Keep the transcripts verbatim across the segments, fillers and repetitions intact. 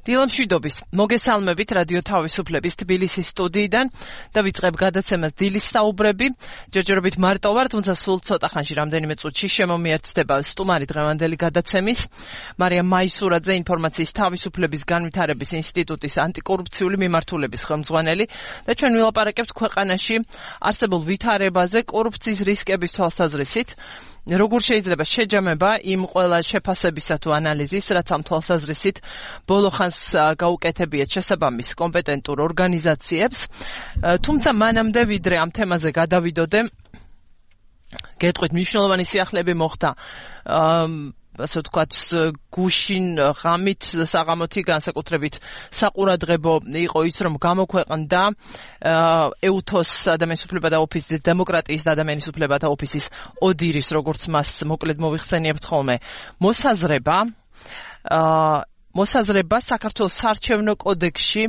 დილამშვიდობის მოგესალმებით რადიო თავისუფლების თბილისის სტუდიიდან და ვიწყებ გადაცემას დილის საუბრები. ჯერჯერობით მარტო ვარ, თუმცა სულ ცოტა ხანში რამდენიმე წუთში შემომიერთდება სტუმარი დღევანდელი გადაცემის. მარიამ მაისურაძე, ინფორმაციის თავისუფლების განვითარების ინსტიტუტის ანტიკორუფციული მიმართულების ხელმძღვანელი და ჩვენ ვილაპარაკებთ ქვეყანაში არსებულ ვითარებაზე კორუფციის რისკების თვალსაზრისით. როგორ შეიძლება შეჯამება იმ ყველა შეფასებისა თუ ანალიზის, რაც ამ თვალსაზრისით ბოლო ხანს გაუკეთებიათ შესაბამის კომპეტენტურ ორგანიზაციებს. თუმცა მანამდე ვიდრე ამ თემაზე გადავიდოდე, გეტყვით მნიშვნელოვანი სიახლეები მოხდა ასე ვთქვათ, გუშინ ღამით საღამოთი განსაკუთრებით საყურადღებო იყო ის, რომ გამოქვეყნდა ეუთოს ადამიანის უფლებათა ოფისის, დემოკრატიის და ადამიანის უფლებათა ოფისის ოდირის, როგორც მას მოკლედ მოვიხსენიებთ ხოლმე, მოსაზრება, მოსაზრება საქართველოს საარჩევნო კოდექსში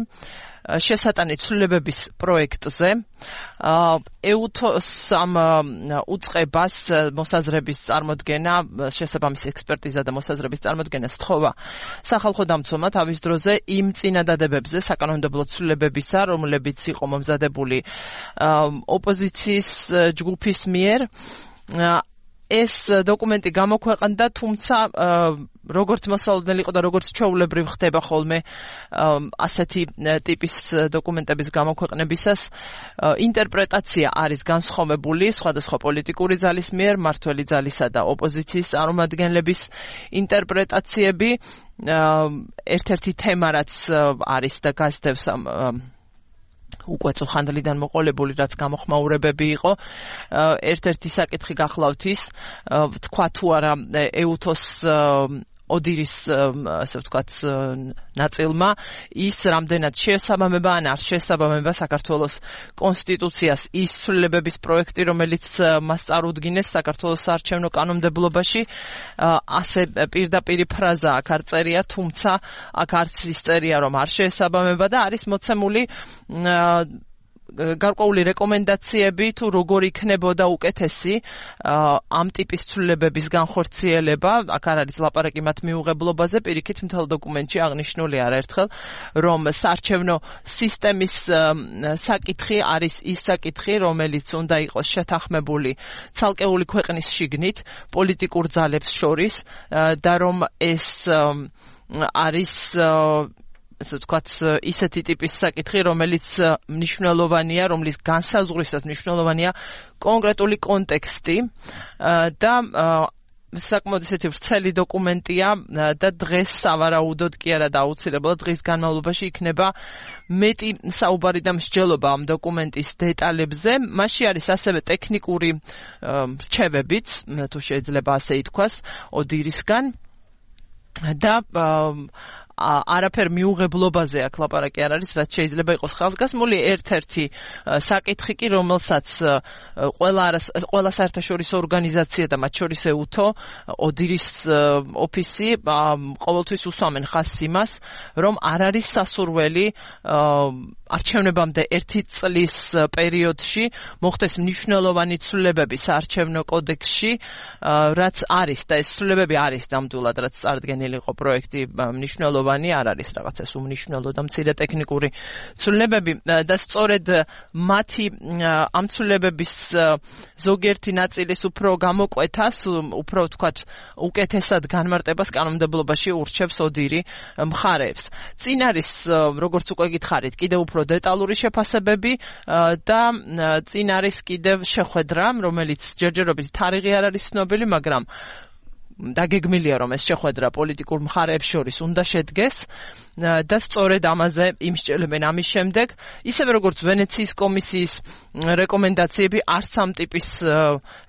შესატანი ცვლილებების პროექტზე. ეუთოს ამ უწყებას მოსაზრების წარმოდგენა, შესაბამის ექსპერტიზა და მოსაზრების წარმოდგენა სთხოვა სახალხო დამცველმა თავის დროზე იმ წინადადებებზე საკანონმდებლო ცვლილებებისა, რომლებიც იყო მომზადებული ოპოზიციის ჯგუფის მიერ. ეს დოკუმენტი გამოქვეყნდა, თუმცა როგორც მოსალოდნელი იყო და როგორც ჩვეულებრივ ხდება ხოლმე ასეთი ტიპის დოკუმენტების გამოქვეყნებისას, ინტერპრეტაცია არის განსხვავებული სხვადასხვა პოლიტიკური ძალის მიერ, მმართველი ძალისა და ოპოზიციის წარმომადგენლების ინტერპრეტაციები. ერთ-ერთი თემა, რაც არის და გასდევს ამ უკვე ხანდლიდან მოყოლებული, რაც გამოხმაურებები იყო. ერთ-ერთი საკითხი გახლავთ ის, თქვა თუ არა ეუთოს ოდირის, ასე ვთქვათ, ნაწილმა ის რამდენად შეესაბამება ან არ შეესაბამება საქართველოს კონსტიტუციას ის ცვლილებების პროექტი, რომელიც მას წარუდგინეს საქართველოს საარჩევნო კანონმდებლობაში. ასე პირდაპირი ფრაზა აქ არ წერია, თუმცა აქ არც ის წერია, რომ არ შეესაბამება და არის მოცემული გარკვეული რეკომენდაციები თუ როგორ იქნებოდა უკეთესი ამ ტიპის ცვლილებების განხორციელება. აქ არ არის ლაპარაკი მათ მიუღებლობაზე, პირიქით მთელ დოკუმენტში აღნიშნული არაერთხელ, რომ საარჩევნო სისტემის საკითხი არის ის საკითხი, რომელიც უნდა იყოს შეთანხმებული ცალკეული ქვეყნის შიგნით პოლიტიკურ ძალებს შორის და რომ ეს არის ასე ვთქვათ, ისეთი ტიპის საკითხი, რომელიც მნიშვნელოვანია, რომლის განსაზღვრისას მნიშვნელოვანია კონკრეტული კონტექსტი და საკმაოდ ისეთი ვრცელი დოკუმენტია და დღეს სავარაუდოდ კი არა და აუცილებლად დღის განმავლობაში იქნება მეტი საუბარი და მსჯელობა ამ დოკუმენტის დეტალებზე. მასში არის ასევე ტექნიკური რჩევებიც, თუ შეიძლება ასე ითქვას, ოდირისგან და არაფერ მიუღებლობაზე აქ ლაპარაკი არ არის, რაც შეიძლება იყოს ხალხგასმული. ერთ-ერთი საკითხი კი, რომელსაც ყველა ყველა საერთაშორისო ორგანიზაცია და მათ შორის ეუთო, ოდირის ოფისი ყოველთვის უსვამენ ხაზს იმას, რომ არ არის სასურველი არჩევნებამდე ერთი წლის პერიოდში მოხდეს მნიშვნელოვანი ცვლილებები საარჩევნო კოდექსში, რაც არის და ეს ცვლილებები არის ნამდვილად, რაც წარდგენილი იყო პროექტი მნიშვნელოვანი არ არის რაღაცა უმნიშვნელო და მცირე ტექნიკური ცვლილებები და სწორედ მათი ამ ცვლილებების ზოგიერთი ნაწილის უფრო გამოკვეთას, უფრო ვთქვათ, უკეთესად განმარტებას კანონმდებლობაში ურჩევს ოდირი მხარეებს. წინ არის, როგორც უკვე გითხარით, კიდევ უფრო დეტალური შეფასებები და წინ არის კიდევ შეხვედრა, რომელიც ჯერჯერობით თარიღი არ არის ცნობილი, მაგრამ დაგეგმილია, რომ ეს შეხვედრა პოლიტიკურ მხარეებს შორის უნდა შედგეს და სწორედ ამაზე იმსჯელებენ ამის შემდეგ. ისევე როგორც ვენეციის კომისიის რეკომენდაციები, არც ამ ტიპის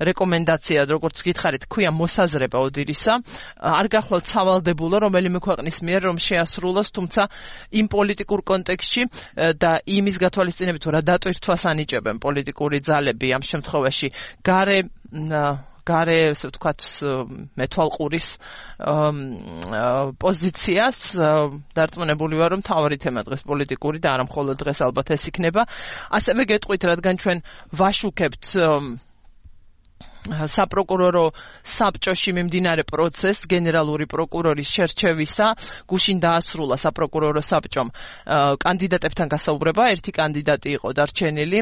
რეკომენდაცია, როგორც გითხარით, ქვია მოსაზრება ოდირისა, არ გახლავთ სავალდებულო რომელიმე ქვეყნის მიერ, რომ შეასრულოს, თუმცა იმ პოლიტიკურ კონტექსტში და იმის გათვალისწინებით, რა დატვირთვას ანიჭებენ პოლიტიკური ძალები ამ შემთხვევაში გარე გარე, ასე ვთქვათ, მეთვალყურის პოზიციას დარწმუნებული ვარ, რომ მთავარი თემა დღეს პოლიტიკური და არა მხოლოდ დღეს ალბათ ეს იქნება. ასევე გეტყვით, რადგან ჩვენ ვაშუქებთ საპროკურორო საბჭოში მიმდინარე პროცესს გენერალური პროკურორის შერჩევისა გუშინ დაასრულა საპროკურორო საბჭომ კანდიდატებთან გასაუბრება ერთი კანდიდატი იყო დარჩენილი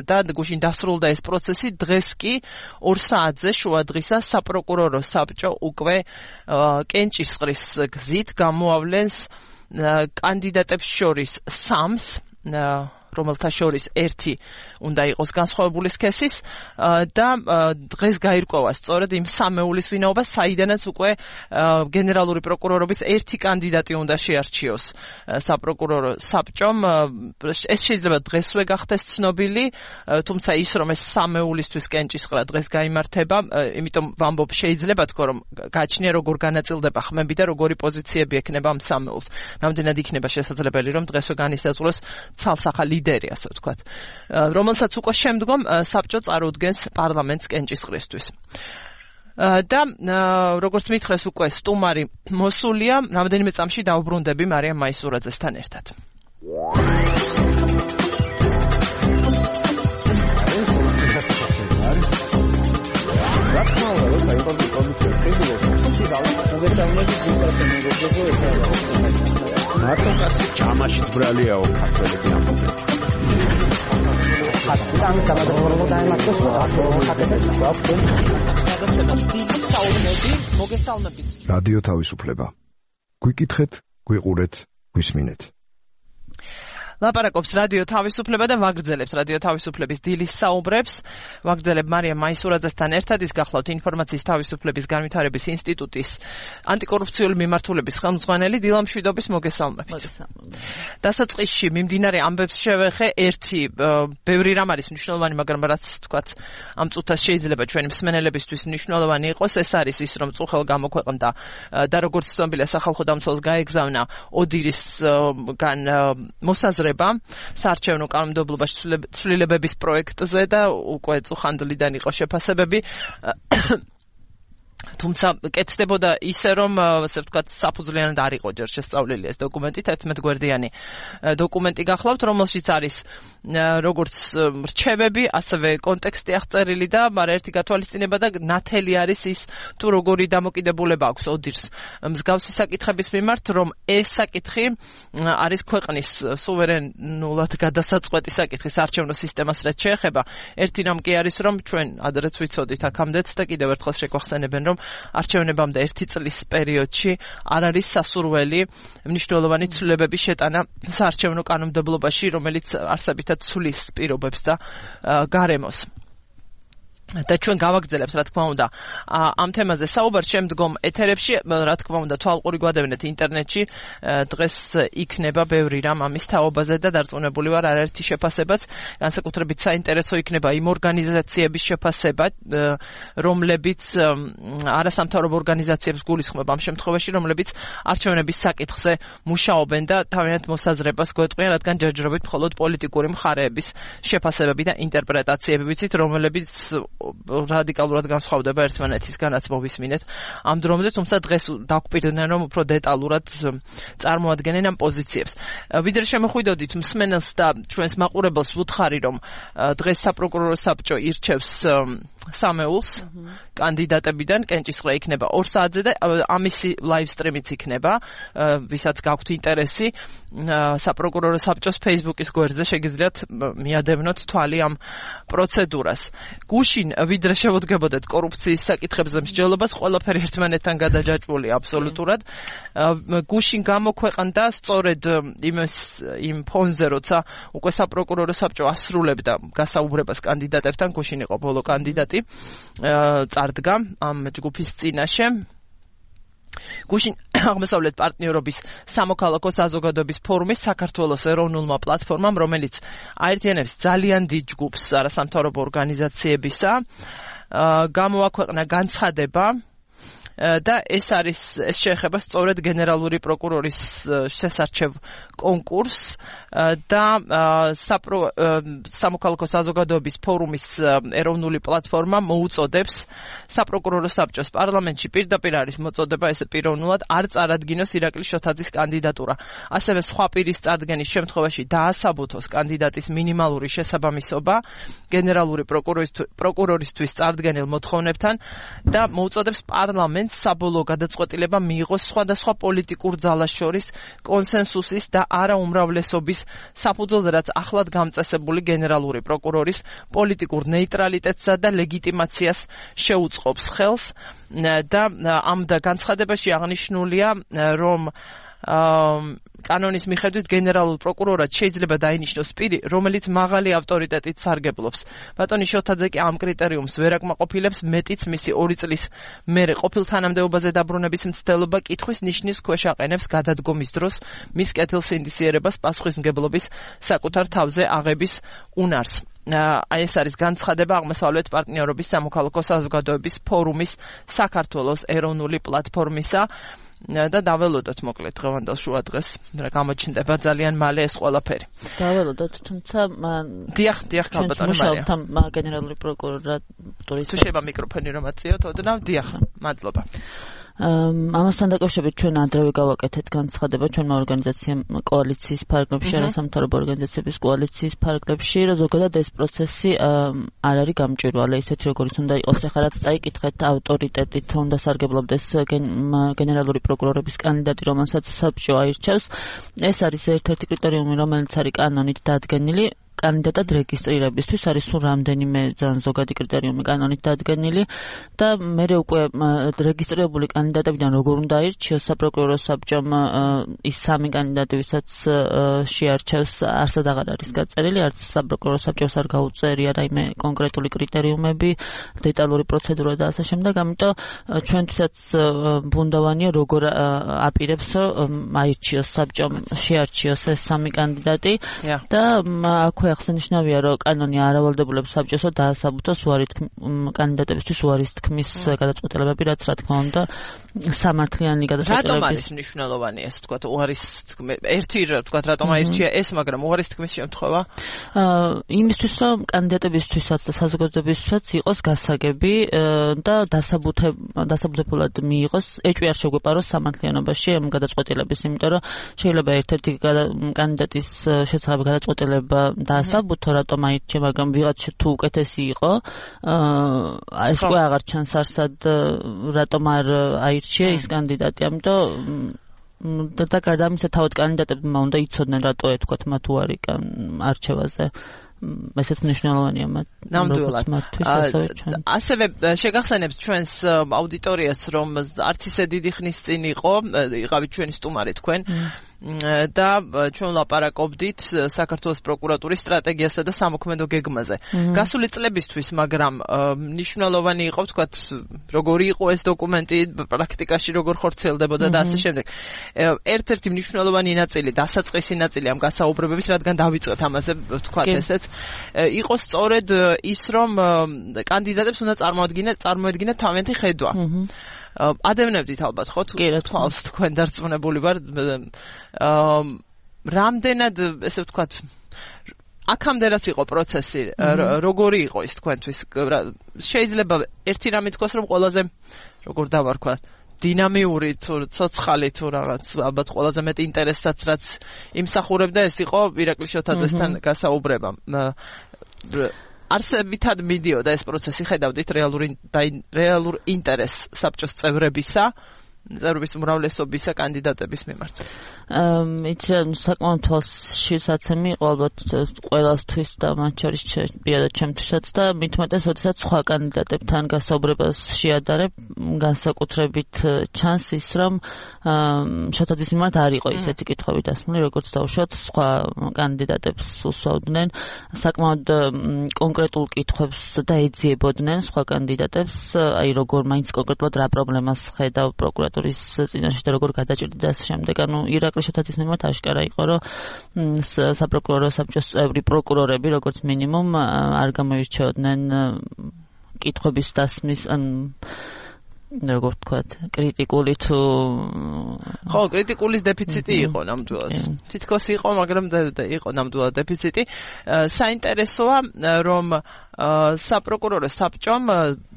და გუშინ დასრულდა ეს პროცესი დღეს კი ორ საათზე შუადღისა საპროკურორო საბჭო უკვე კენჭისყრის გზით გამოავლენს კანდიდატებს შორის სამს რომელთა შორის ერთი უნდა იყოს განსხვავებული სქესის და დღეს გაირკვევა სწორედ იმ სამეულის ვინაობა, საიდანაც უკვე გენერალური პროკურორობის ერთი კანდიდატი უნდა შეარჩიოს საპროკურორო საბჭომ. ეს შეიძლება დღესვე გახდეს ცნობილი, თუმცა ის რომ ეს სამეულისთვის კენჭისყრა დღეს გაიმართება, იმიტომ ვამბობ შეიძლება თქო რომ გაჩნია როგორ განაწილდება ხმები და როგორი პოზიციები ექნება ამ სამეულს. რამდენად იქნება შესაძლებელი რომ დღესვე განისაზღვროს ცალსახა ლიდერი, ასე ვთქვათ, რომელსაც უკვე შემდგომ საბჭო წარუდგენს პარლამენტს კენჭისყრისთვის. და როგორც მითხრეს უკვე სტუმარი მოსულია, რამდენიმე წამში დავუბრუნდები მარიამ მაისურაძესთან ერთად. მარტო კაცი ჯამაშიც ბრალიაო ქართველები ამბობენ. ხატიდან გამოდროულობა დაემართოს ხატებს გვაქვს. გადაცემას დიდი საუბნები, მოგესალმებით. რადიო თავისუფლება. გვიკითხეთ, გვიყურეთ, გვისმინეთ. ლაპარაკობს რადიო თავისუფლება და ვაგრძელებთ რადიო თავისუფლების დილის საუბრებს. ვაგრძელებ მარიამ მაისურაძესთან ერთად, ის გახლავთ ინფორმაციის თავისუფლების განვითარების ინსტიტუტის ანტიკორუფციული მიმართულების ხელმძღვანელი. დილა მშვიდობის, მოგესალმებით. მოგესალმებით. დასაწყისში მიმდინარე ამბებს შევეხე, ერთი ბევრი რამ არის მნიშვნელოვანი, მაგრამ რაც თქვათ ამ წუთას შეიძლება ჩვენი მსმენელებისთვის მნიშვნელოვანი იყოს, ეს არის ის, რომ წუხელ გამოქვეყნდა და როგორც ცნობილია სახალხო დამცველს გაეგზავნა ოდირისგან მოსაზრება საარჩევნო კანონმდებლობაში ცვლილებების პროექტზე და უკვე წუხანდლიდან იყო შეფასებები. თუმცა კეთდებოდა ისე რომ ასე ვთქვათ საფუძვლიანად არ იყო ჯერ შესწავლილი ეს დოკუმენტი, თერთმეტ გვერდიანი დოკუმენტი გახლავთ, რომელშიც არის როგორც რჩევები, ასევე კონტექსტი აღწერილი და მაგრამ ერთი გათვალისწინება და ნათელი არის ის თუ როგორი დამოკიდებულება აქვს ოდირს მსგავსი საკითხების მიმართ, რომ ეს საკითხი არის ქვეყნის სუვერენულად გადასაწყვეტი საკითხი საარჩევნო სისტემას რაც შეეხება. ერთი რამ კი არის რომ ჩვენ ადრეც ვიცოდით აქამდეც და კიდევ ერთხელ შეგვახსენებენ რომ არჩევნებამდე ერთი წლის პერიოდში არ არის სასურველი მნიშვნელოვანი ცვლილებების შეტანა საარჩევნო კანონმდებლობაში, რომელიც არსებითად ცვლის პირობებს და გარემოს. და ჩვენ გავაგრძელებთ, რა თქმა უნდა, ამ თემაზე საუბარს შემდგომ ეთერებში, რა თქმა უნდა, თვალყური გვადევნეთ ინტერნეტში, დღეს იქნება ბევრი რამ ამის თაობაზე და დარწმუნებული ვარ, არაერთი შეფასებაც, განსაკუთრებით საინტერესო იქნება იმ ორგანიზაციების შეფასება, რომლებიც არასამთავრობო ორგანიზაციებს გულისხმობ ამ შემთხვევაში, რომლებიც არჩევნების საკითხზე მუშაობენ და თავიანთ მოსაზრებას გვეტყვიან, რადგან ჯერჯერობით მხოლოდ პოლიტიკური მხარეების შეფასებები და ინტერპრეტაციები ვიცით, რომლებიც რადიკალურად განსხვავდება ერთმანეთისგანაც მოვისმინეთ ამ დრომზე, თუმცა დღეს დაგვპირდნენ რომ უფრო დეტალურად წარმოადგენენ ამ პოზიციებს. ვიდრე შემოხვიდოდით მსმენელს და ჩვენს მაყურებელს ვუთხარი, რომ დღეს საპროკურორო საბჭო ირჩევს სამეულს კანდიდატებიდან, კენჭისყრა იქნება ორ საათზე და ამისი ლაივ სტრიმიც იქნება, ვისაც გაქვთ ინტერესი, საპროკურორო საბჭოს Facebook-ის გვერდზე შეგიძლიათ მიადევნოთ თვალი ამ პროცედურას. გუშინ ვიდრე შევოდგებოდეთ კორუფციის საკითხებზე მსჯელობას, ყველაფერი ერთმანეთთან გადაჯაჭვული აბსოლუტურად. გუშინ გამოქვეყნდა სწორედ იმ ფონზე, როცა უკვე საპროკურორო საბჭო ასრულებდა გასაუბრებას კანდიდატებთან, გუშინ იყო ბოლო კანდიდატი წარდგა ამ ჯგუფის წინაშე. გუშინ აღმოსავლეთ პარტნიორობის სამოქალაქო საზოგადოების ფორუმის საქართველოს ეროვნულმა პლატფორმამ, რომელიც აერთიანებს ძალიან დიდ ჯგუფს არასამთავრობო ორგანიზაციებისა, გამოაქვეყნა განცხადება და ეს არის ეს შეეხება სწორედ გენერალური პროკურორის შესარჩევ კონკურსს და სამოქალაქო საზოგადოების ფორუმის ეროვნული პლატფორმა მოუწოდებს საპროკურორო საბჭოს პარლამენტში პირდაპირ არის მოწოდება ესე პიროვნულად არ წარადგინოს ირაკლი შოთაძის კანდიდატურა. ასევე სხვა პირის წარდგენის შემთხვევაში დაასაბუთოს კანდიდატის მინიმალური შესაბამისობა გენერალური პროკურორისთვის წარდგენილ მოთხოვნებთან და მოუწოდებს პარლამენტს საბოლოო გადაწყვეტილება მიიღოს სხვადასხვა პოლიტიკურ ძალას შორის კონსენსუსის და არაუმრავლესობის საფუძველზე, რაც ახლად გამწესებული გენერალური პროკურორის პოლიტიკურ ნეიტრალიტეტსა და ლეგიტიმაციას შეუწყობს ხელს და ამ განცხადებაში აღნიშნულია, რომ კანონის მიხედვით გენერალურ პროკურორად შეიძლება დაინიშნოს პირი, რომელიც მაღალი ავტორიტეტით სარგებლობს. ბატონი შოთაძე კი ამ კრიტერიუმს ვერ აკმაყოფილებს, მეტიც მისი ორი წლის მერე ყოფილ თანამდებობაზე დაბრუნების მცდელობა კითხვის ნიშნის ქვეშ აყენებს გადადგომის დროს მის კეთილსინდისიერებას პასუხისმგებლობის საკუთარ თავზე აღების უნარს. აი ეს არის განცხადება აღმოსავლეთ პარტნიორობის სამოქალაქო საზოგადოების ფორუმის საქართველოს ეროვნული პლატფორმისა და დაველოდოთ მოკლედ დღევანდელ შუა დღეს რა გამოჩნდება ძალიან მალე ეს ყველაფერი. დაველოდოთ, თუმცა დიახ, დიახ, ალბათ მუშაობთ გენერალური პროკურატურის. თუ შეიძლება მიკროფონი რომ აწიოთ, ოდნავ დიახ, მადლობა. ამასთან დაკავშირებით ჩვენ ადრევე გავაკეთეთ განცხადება ჩვენმა ორგანიზაციამ კოალიციის ფარგლებში, არასამთავრობო ორგანიზაციების კოალიციის ფარგლებში, რომ ზოგადად ეს პროცესი არ არის გამჭვირვალე, ისეთი როგორც უნდა იყოს. ახლა რაც წაიკითხეთ ავტორიტეტით უნდა სარგებლობდეს გენერალური პროკურორების კანდიდატი, რომელსაც საბჭო აირჩევს. ეს არის ერთ-ერთი კრიტერიუმი, რომელიც არის კანონით დადგენილი. კანდიდატად რეგისტრირებისთვის არის სულ რამდენიმე ძალიან ზოგადი კრიტერიუმი კანონით დადგენილი და მე უკვე რეგისტრირებული კანდიდატებიდან როგორ უნდა აირჩიოს საპროკურორო საბჭომ ის სამი კანდიდატი, ვისაც შეარჩევს, არსად აღარ არის გაწერილი, არც საპროკურორო საბჭოს არ გაუწერია რაიმე კონკრეტული კრიტერიუმები, დეტალური პროცედურა და ასე შემდეგ, ამიტომ ჩვენთვისაც ბუნდოვანია როგორ აპირებს აირჩიოს საბჭომ, შეარჩიოს ეს სამი კანდიდატი და აქვე აღსანიშნავია, რომ კანონი არავალდებულებს საბჭოსო დაასაბუთოს უარი კანდიდატებისთვის უარის თქმის გადაწყვეტილებები, რაც რა თქმა უნდა სამართლიანი გადაწყვეტილებები. რატომ არის მნიშვნელოვანი ეს თქვა უარის ერთი თქვა რატომ აირჩია ეს, მაგრამ უარის თქმის შემთხვევა? იმისთვის, რომ კანდიდატებისთვისაც და საზოგადოებისთვისაც იყოს გასაგები და დასაბუთებულად მიიღოს, ეჭვი არ შეგვეპაროს სამართლიანობაში ამ გადაწყვეტილების, იმიტომ რომ შეიძლება ერთ-ერთი კანდიდატის შესახებ გადაწყვეტილება დაასაბუთო, რატომ აირჩია, მაგრამ ვიღაცა თუ უკეთესი იყო, ეს უკვე აღარ ჩანს არსად, რატომ არ აირჩია ის კანდიდატი. ამიტომ და გარდა ამისა თავად კანდიდატებმა უნდა იცოდნენ, რატო ეთქვათ მათ უარი არჩევაზე. ესეც მნიშვნელოვანია მათ. ნამდვილად. ასევე შეგახსენებთ ჩვენს აუდიტორიას, რომ არც ისე დიდი ხნის წინ იყო, იყავით ჩვენი სტუმარი თქვენ. და ჩვენ ლაპარაკობდით საქართველოს პროკურატურის სტრატეგიასა და სამოქმედო გეგმაზე. გასული წლებისთვის, მაგრამ მნიშვნელოვანი იყო, ვთქვათ, როგორი იყო ეს დოკუმენტი, პრაქტიკაში როგორ ხორციელდებოდა და ასე შემდეგ. ერთ-ერთი მნიშვნელოვანი ნაწილი, დასაწყისი ნაწილი ამ გასაუბრებების, რადგან დავიწყეთ ამაზე, ვთქვათ ესეც, იყო სწორედ ის, რომ კანდიდატებს უნდა წარმოადგინეთ, წარმოედგინეთ თავიანთი ხედვა. ადევნებდით ალბათ ხო თუ თვალს თქვენ დარწმუნებული ვარ რამდენად ესე ვთქვათ აქამდე რაც იყო პროცესი როგორი იყო ის თქვენთვის შეიძლება ერთი რამე თქვას რომ ყველაზე როგორ დავარქვათ დინამიური თუ ცოცხალი თუ რაღაც ალბათ ყველაზე მეტი ინტერესსაც რაც იმსახურებდა ეს იყო ირაკლი შოთაძესთან გასაუბრება არსებითად მიდიოდა ეს პროცესი, ხედავდით რეალური რეალურ ინტერესს საბჭოს წევრებისა, წევრების უმრავლესობისა კანდიდატების მიმართ. იცი საკმაოდ თვალშისაცემი იყო ალბათ ყველასთვის და მათ შორის პირადად ჩემთვისაც და მით უმეტეს, როდესაც სხვა კანდიდატებთან გასაუბრებას შეადარებ, განსაკუთრებით ჩანს ის, რომ შოთაძის მიმართ არ იყო ისეთი კითხვები დასმული, როგორც დავუშვათ სხვა კანდიდატებს უსვავდნენ, საკმაოდ კონკრეტულ კითხვებს და ეძიებოდნენ სხვა კანდიდატებს, აი როგორ მაინც კონკრეტულად რა პრობლემას ხედავ პროკურატურის წინაშე და როგორ გადაჭირდა და ასე შემდეგ. ანუ ირაკლი შოთაძის მიმართ აშკარა იყო, რომ საპროკურორო საბჭოს წევრი პროკურორები, როგორც მინიმუმ, არ გამოირჩეოდნენ კითხვების დასმის ან როგორ ვთქვათ, კრიტიკული თუ ხო, კრიტიკულის დეფიციტი იყო ნამდვილად. თითქოს იყო, მაგრამ იყო ნამდვილად დეფიციტი. საინტერესოა, რომ საპროკურორო საბჭომ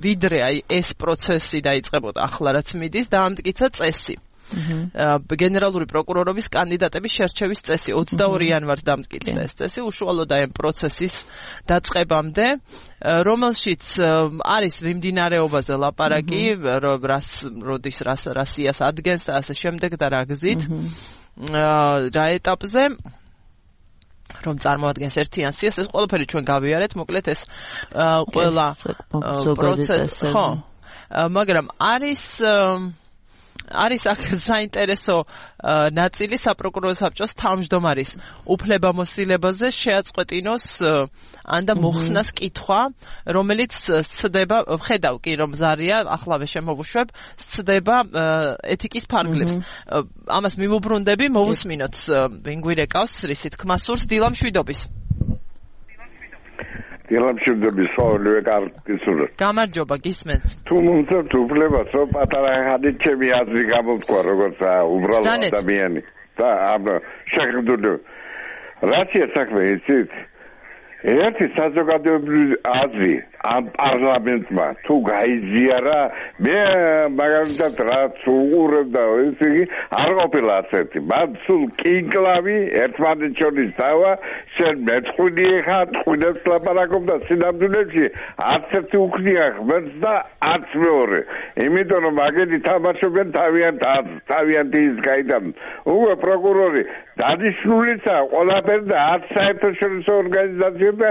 ვიდრე აი ეს პროცესი დაიწყებოდა ახლა რაც მიდის, დაამტკიცა წესი. გენერალური პროკურორობის კანდიდატების შერჩევის წესი ოცდაორი იანვარს დამტკიცა ეს წესი უშუალოდ აი პროცესის დაწყებამდე, რომელშიც არის მიმდინარეობაზე ლაპარაკი, რას როდის რას რასიას ადგენს და ასე შემდეგ და რა გზით, რა ეტაპზე რომ წარმოადგენს ერთიან სიას, ეს ყველაფერი ჩვენ გავიარეთ, მოკლედ ეს ყველა პროცესი, ხო, მაგრამ არის არის აქ საინტერესო ნაწილი საპროკურორო საბჭოს თავმჯდომარის უფლებამოსილებაზე შეაწყვეტინოს ან და მოხსნას კითხვა, რომელიც სცდება, ვხედავ კი რომ ზარია, ახლავე შემოვუშვებ, სცდება ეთიკის ფარგლებს. ამას მიმოbrundები, მოვუსმინოთ ვინ გვირეკავს რისი თქმა სურს დილა მშვიდობის. დილამშვიდობის ყოველივე კარგისურვებს. გამარჯობა, გისმენთ. თუ მომწონთ უფლებას, რომ პატარა ხანი ჩემი აზრი გამოთქვა, როგორც უბრალო ადამიანი და ამ შეხედული. რაცია საქმე იცით? ერთი საზოგადოებრივი აზრი ამ პარლამენტმა თუ გაიზიარა, მე მაგალითად რაც უყურებდა, ესე იგი არ ყოფილა ასეთი. მათ სულ კინკლავი ერთმანეთს შორის დავა, შენ მეწყვილი ხარ, ტყუილებს ლაპარაკობ და სინამდვილეში არც ერთი უქნია ღმერთს და არც მეორე. იმიტომ რომ მაგეთი თამაშობენ თავიანთ თავიანთ ის გაიდან. უკვე პროკურორი დანიშნულიცაა ყველაფერი და არც საერთაშორისო ორგანიზაცია და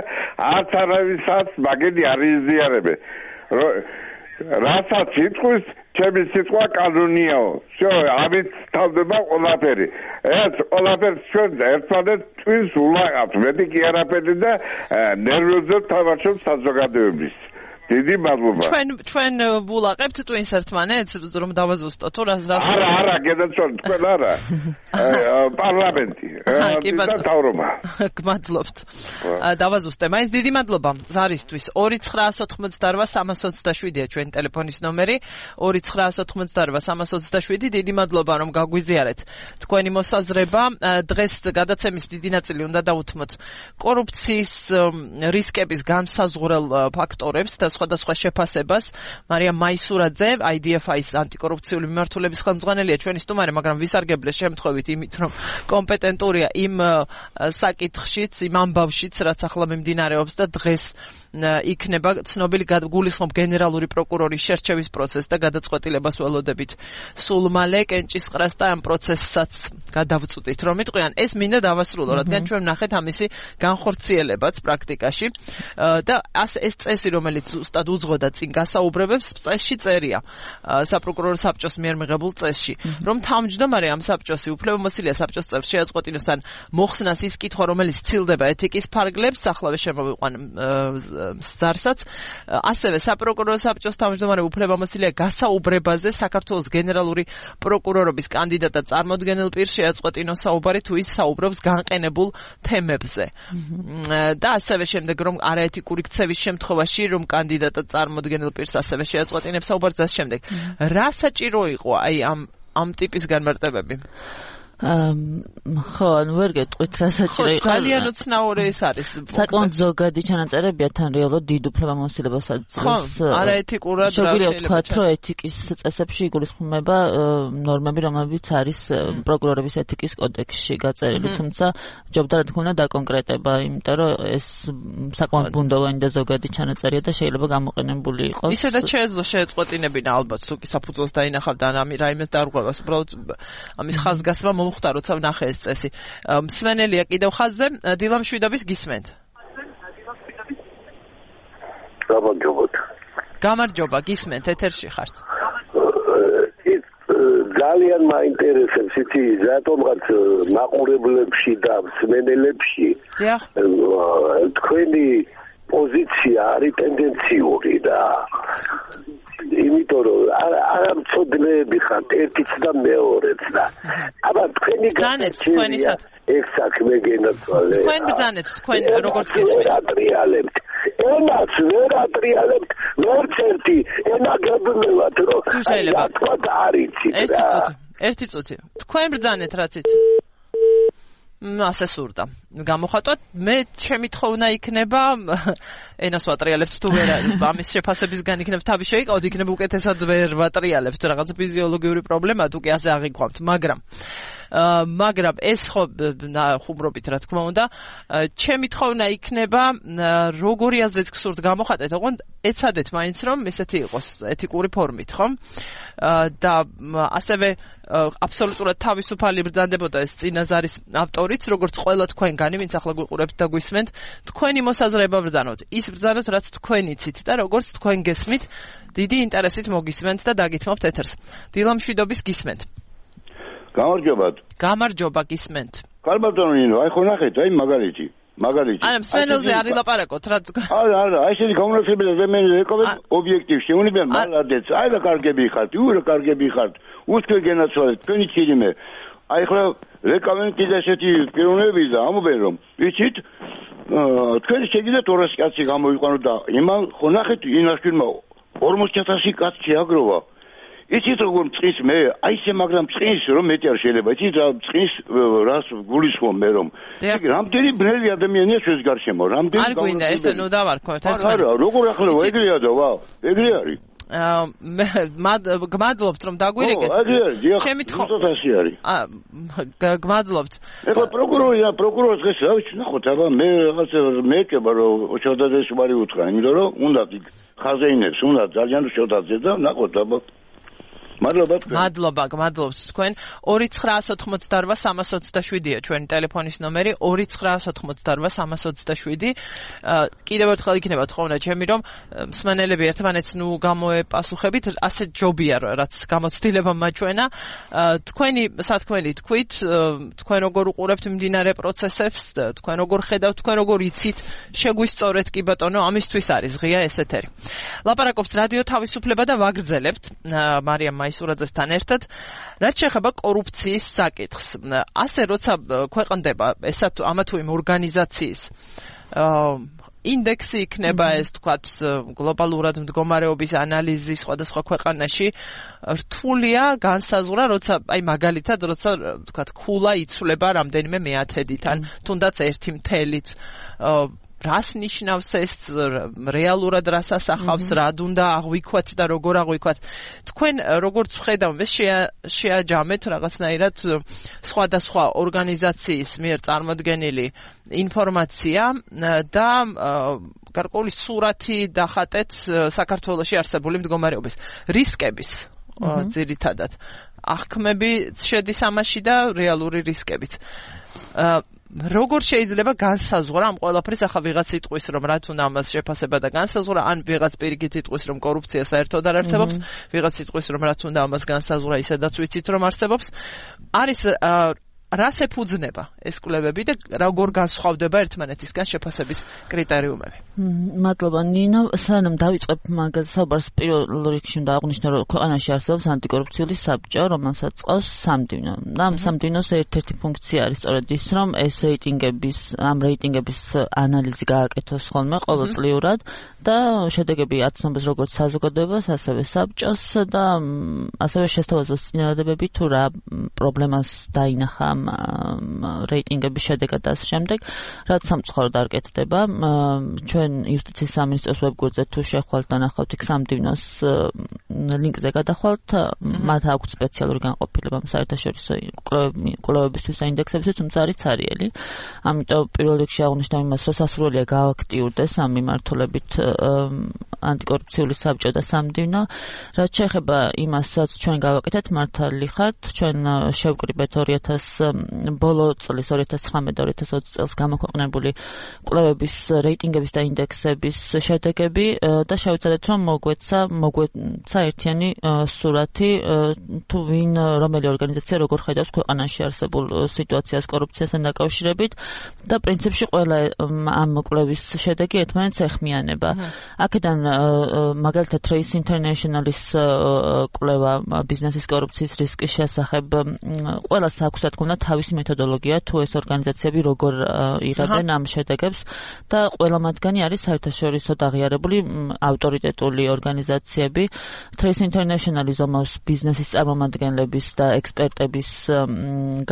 არც არავისაც მაგენი არ იზიარებენ. რასაც იტყვის, ჩემი სიტყვა კანონიაო. всё, ამით თავდება ყველაფერი. ეს ყველაფერს ჩვენ ერთმანეთს ტვინს ულაღავთ. მეტი კი არაფერი და ნერვებზე თამაშობს საზოგადოების. დიდი მადლობა. ჩვენ ჩვენ ვულაყებთ ტვინს ერთმანეთს, რომ დავაზუსტოთ თუ რას რას. არა, არა, გედაცვალ თქვენ არა. პარლამენტი. და თავრობა. გმადლობთ. დავაზუსტე. მაინც დიდი მადლობა ზარისთვის. ორი ცხრაას ოთხმოცდაორვა სამას ოცდაშვიდია ჩვენი ტელეფონის ნომერი. ორი ცხრაას ოთხმოცდაორვა სამას ოცდაშვიდი. დიდი მადლობა რომ გაგვიზიარეთ თქვენი მოსაზრება. დღეს გადაცემის დიდი ნაწილი უნდა დავუთმოთ კორუფციის რისკების განსაზღვრელ ფაქტორებს და სხვადასხვა შეფასებას. მარია მაისურაძე, აი დი ეფ აის ანტიკორუფციული მიმართულების ხელმძღვანელია ჩვენი სტუმარი, მაგრამ ვისარგებლე შემთხვევით იმით, რომ კომპეტენტურია იმ საკითხშიც, იმ ამბავშიც, რაც ახლა მიმდინარეობს და დღეს იქნება ცნობილი გულისხმობ გენერალური პროკურორის შერჩევის პროცესს და გადაწყვეტილებას ველოდებით სულ მალე კენჭისყრას და ამ პროცესსაც გადავწყვიტით რომ იტყვიან. ეს მინდა დავასრულო, რადგან ჩვენ ვნახეთ ამისი განხორციელებაც პრაქტიკაში და ეს წესი, რომელიც ზუსტად უძღოდა წინ გასაუბრებებს, წესში წერია საპროკურორო საბჭოს მიერ მიღებულ წესში, რომ თავმჯდომარე ამ საბჭოსი უფლებამოსილია საბჭოს წევრს შეაწყვეტინოს ან მოხსნას ის კითხვა, რომელიც ცილდება ეთიკის ფარგლებს, ახლავე შემოვიყვან ზარსაც, ასევე საპროკურორო საბჭოს თავმჯდომარე უფლებამოსილია გასაუბრებაზე საქართველოს გენერალური პროკურორობის კანდიდატად წარმოდგენილ პირს შეაწყვეტინოს საუბარი თუ ის საუბრობს განყენებულ თემებზე. და ასევე შემდეგ რომ არაეთიკური ქცევის შემთხვევაში რომ კანდიდატად წარმოდგენილ პირს ასევე შეაწყვეტინებს საუბარს და შემდეგ. რა საჭირო იყო აი ამ ამ ტიპის განმარტებები? ხო, ანუ ვერ გეტყვით რა საჭირო იყო. ძალიან უცნაური ეს არის. საკმაოდ ზოგადი ჩანაწერებია თან რეალურად დიდ უფლებამოსილებასაც. ხო, არაეთიკურად რა შეიძლება ვთქვათ, რომ ეთიკის წესებში იგულისხმება ნორმები, რომლებიც არის პროკურორების ეთიკის კოდექსში გაწერილი, თუმცა ჯობდა რა თქმა უნდა დაკონკრეტება, იმიტომ რომ ეს საკმაოდ ბუნდოვანი და ზოგადი ჩანაწერია და შეიძლება გამოყენებული იყოს. ისედაც შეეძლო შეეწყვეტინებინა ალბათ, თუ კი საფუძველს დაინახავდა ან რაიმეს დარღვევას, უბრალოდ ამის ხაზგასმა მოხდა, როცა ვნახე ეს წესი. მსვენელია კიდევ ხაზზე, დილა მშვიდობის გისმენთ. გამარჯობათ. გამარჯობა, გისმენთ, ეთერში ხართ. ძალიან მაინტერესებს იცი, რატომღაც მაყურებლებში და მსმენელებში თქვენი პოზიცია არის ტენდენციური და იმიტომ რომ არა მწოდნეები ხართ ერთიც და მეორეც და აბა თქვენი განაცხადია ეს საქმე გენაცვალე თქვენ ბრძანეთ თქვენ როგორც გესმით ატრიალებთ ენას ვერ ატრიალებთ მერც ერთი ენა გებნელად რომ შეიძლება თქვა და არიცით რა ერთი წუთი ერთი წუთი თქვენ ბრძანეთ რაც იცით ასე სურდა გამოხატოთ მე ჩემი თხოვნა იქნება ენას ვატრიალებთ თუ ვერ ამის შეფასებისგან იქნებ თავი შეიკავოთ იქნებ უკეთესად ვერ ვატრიალებთ რაღაცა ფიზიოლოგიური პრობლემა თუ კი ასე აღიქვამთ მაგრამ მაგრამ ეს ხო ხუმრობით რა თქმა უნდა ჩემი თხოვნა იქნება როგორი აზრით გსურთ გამოხატეთ ოღონდ ეცადეთ მაინც რომ ესეთი იყოს ეთიკური ფორმით ხო და ასევე აბსოლუტურად თავისუფალი ბრძანდებოდა ეს წინაზარის ავტორიც როგორც ყველა თქვენგანი ვინც ახლა გვიყურებთ და გვისმენთ თქვენი მოსაზრება ბრძანოთ ის ბრძანოთ რაც თქვენ იცით და როგორც თქვენ გესმით დიდი ინტერესით მოგისმენთ და დაგითმობთ ეთერს დილამშვიდობის გისმენთ გამარჯობათ გამარჯობა გისმენთ კარბატონო ნინო აი ხო ნახეთ აი მაგალითი მაგალითი არა მსმენელზე არ ილაპარაკოთ რა არა არა აი ესეთი გამონაცემები და მე ეკობენ ობიექტივ შეუნებიან მალადეც აი რა კარგები ხართ იუ რა კარგები ხართ უსკენ გენაცვალეთ თქვენი ჩირიმე აი ხო რეკომენდი და ესეთი პიროვნები და ამობენ რომ ვიცით თქვენ შეგიძლიათ ორასი კაცი გამოიყვანოთ და იმან ხო ნახეთ ინაშვილმა ორმოცი ათასი კაცი შეაგროვა იცით როგორ წრის მე აი ესე მაგრამ წრის რომ მეტი არ შეიძლება იცით რა წრის რას გულისხმობ მე რომ რამდენი ბნელი ადამიანია ჩვენს გარშემო რამდენი არ გვინდა ესე ნუ დავარქვათ ეს არა როგორ ახლა ეგრეა და ვა ეგრე არის გმადლობთ რომ დაგვირიგეთ ჩემი თხოვნა არის გმადლობთ ეხლა პროკურორი და პროკურორს დღეს რა ვიცი ნახოთ აბა მე რაღაცა მეეკება რომ შევდაძეს ვარი უთხრა იმიტომ რომ უნდა ხაზეინებს უნდა ძალიან შევდაძე და ნახოთ აბა მადლობა მადლობა გმადლობთ თქვენ ორი ცხრა ოთხმოცდაოთხ სამას ოცდაშვიდია ჩვენი ტელეფონის ნომერი ორი ცხრა ოთხმოცდაოთხ სამას ოცდაშვიდი კიდევ ერთხელ იქნება თხოვნა ჩემი რომ მსმენელები ერთმანეთს ნუ გამოეპასუხებით ასე ჯობია რაც გამოცდილება მაჩვენა თქვენი სათქმელი თქვით თქვენ როგორ უყურებთ მიმდინარე პროცესებს თქვენ როგორ ხედავთ თქვენ როგორ იცით შეგვისწორეთ კი ბატონო ამისთვის არის ღია ეს ეთერი ლაპარაკობს რადიო თავისუფლება და ვაგრძელებთ მარიამ მაისურაძესთან ერთად რაც შეეხება კორუფციის საკითხს ასე როცა ქვეყნდება ესა თუ ამა თუ იმ ორგანიზაციის ინდექსი იქნება ეს თქვათ გლობალურად მდგომარეობის ანალიზი სხვადასხვა ქვეყანაში რთულია განსაზღვრა როცა აი მაგალითად როცა თქვათ ქულა იცვლება რამდენიმე მეათედით ან თუნდაც ერთი მთელით რას ნიშნავს ეს რეალურად რას ასახავს რა უნდა აღვიქვათ და როგორ აღვიქვათ თქვენ როგორც ხედავთ შეაჯამეთ რაღაცნაირად სხვადასხვა ორგანიზაციის მიერ წარმოდგენილი ინფორმაცია და გარკვეული სურათი დახატეთ საქართველოში არსებული მდგომარეობის რისკების ძირითადად აღქმები შედის ამაში და რეალური რისკებიც როგორ შეიძლება განსაზღვრა ამ ყველაფრის ახლა ვიღაც იტყვის რომ რა თუნდა ამას შეფასება და განსაზღვრა ან ვიღაც პირიქით იტყვის რომ კორუფცია საერთოდ არ არსებობს ვიღაც იტყვის რომ რა თუნდა ამას განსაზღვრა ისედაც ვიცით რომ არსებობს არის რას ეფუძნება ეს კვლევები და როგორ განსხვავდება ერთმანეთისგან შეფასების კრიტერიუმები მადლობა ნინო სანამ დავიწყებ მაგაზე საუბარს პირველ რიგში უნდა აღვნიშნო რომ ქვეყანაში არსებობს ანტიკორუფციული საბჭო რომელსაც ყავს სამდივნო და ამ სამდივნოს ერთ-ერთი ფუნქცია არის სწორედ ის რომ ეს რეიტინგების ამ რეიტინგების ანალიზი გააკეთოს ხოლმე ყოველწლიურად და შედეგები აცნობს როგორც საზოგადოებას ასევე საბჭოს და ასევე შესთავაზოს წინადადებები თუ რა პრობლემას დაინახა რეიტინგების შედეგად და ამ შემდეგ რაც სამწუხაროდ არ კეთდება ჩვენ იუსტიციის სამინისტროს ვებგვერდზე თუ შეხვალთ და ნახავთ იქ სამდივნოს ლინკზე გადახვალთ მათ აქვს სპეციალური განყოფილება საერთაშორისო კვლევებისთვის და ინდექსებისთვის თუმცა არის ცარიელი ამიტომ პირველ რიგში აღვნიშნავ იმას რომ სასურველია გააქტიურდეს ამ მიმართულებით ანტიკორუფციული საბჭო და სამდივნო რაც შეეხება იმასაც ჩვენ გავაკეთეთ მართალი ხართ ჩვენ შევკრიბეთ ორი ათას ბოლო წლის ორი ათას ცხრამეტ ორი ათას ოცი წელს გამოქვეყნებული კვლევების რეიტინგების და ინდექსების შედეგები და შევეცადეთ რომ მოგვეცა მოგვეცა ერთიანი სურათი თუ ვინ რომელი ორგანიზაცია როგორ ხედავს ქვეყანაში არსებულ სიტუაციას კორუფციასთან დაკავშირებით და პრინციპში ყველა ამ კვლევის შედეგი ერთმანეთს ეხმიანება. აქედან მაგალითად Trace International-ის კვლევა ბიზნესის კორუფციის რისკის შესახებ ყველას აქვს რა თქმა უნდა თავისი მეთოდოლოგია თუ ეს ორგანიზაციები როგორ იღებენ ამ შედეგებს და ყველა მათგანი არის საერთაშორისო აღიარებული ავტორიტეტული ორგანიზაციები. Trace International-ი ზომავს ბიზნესის წარმომადგენლების და ექსპერტების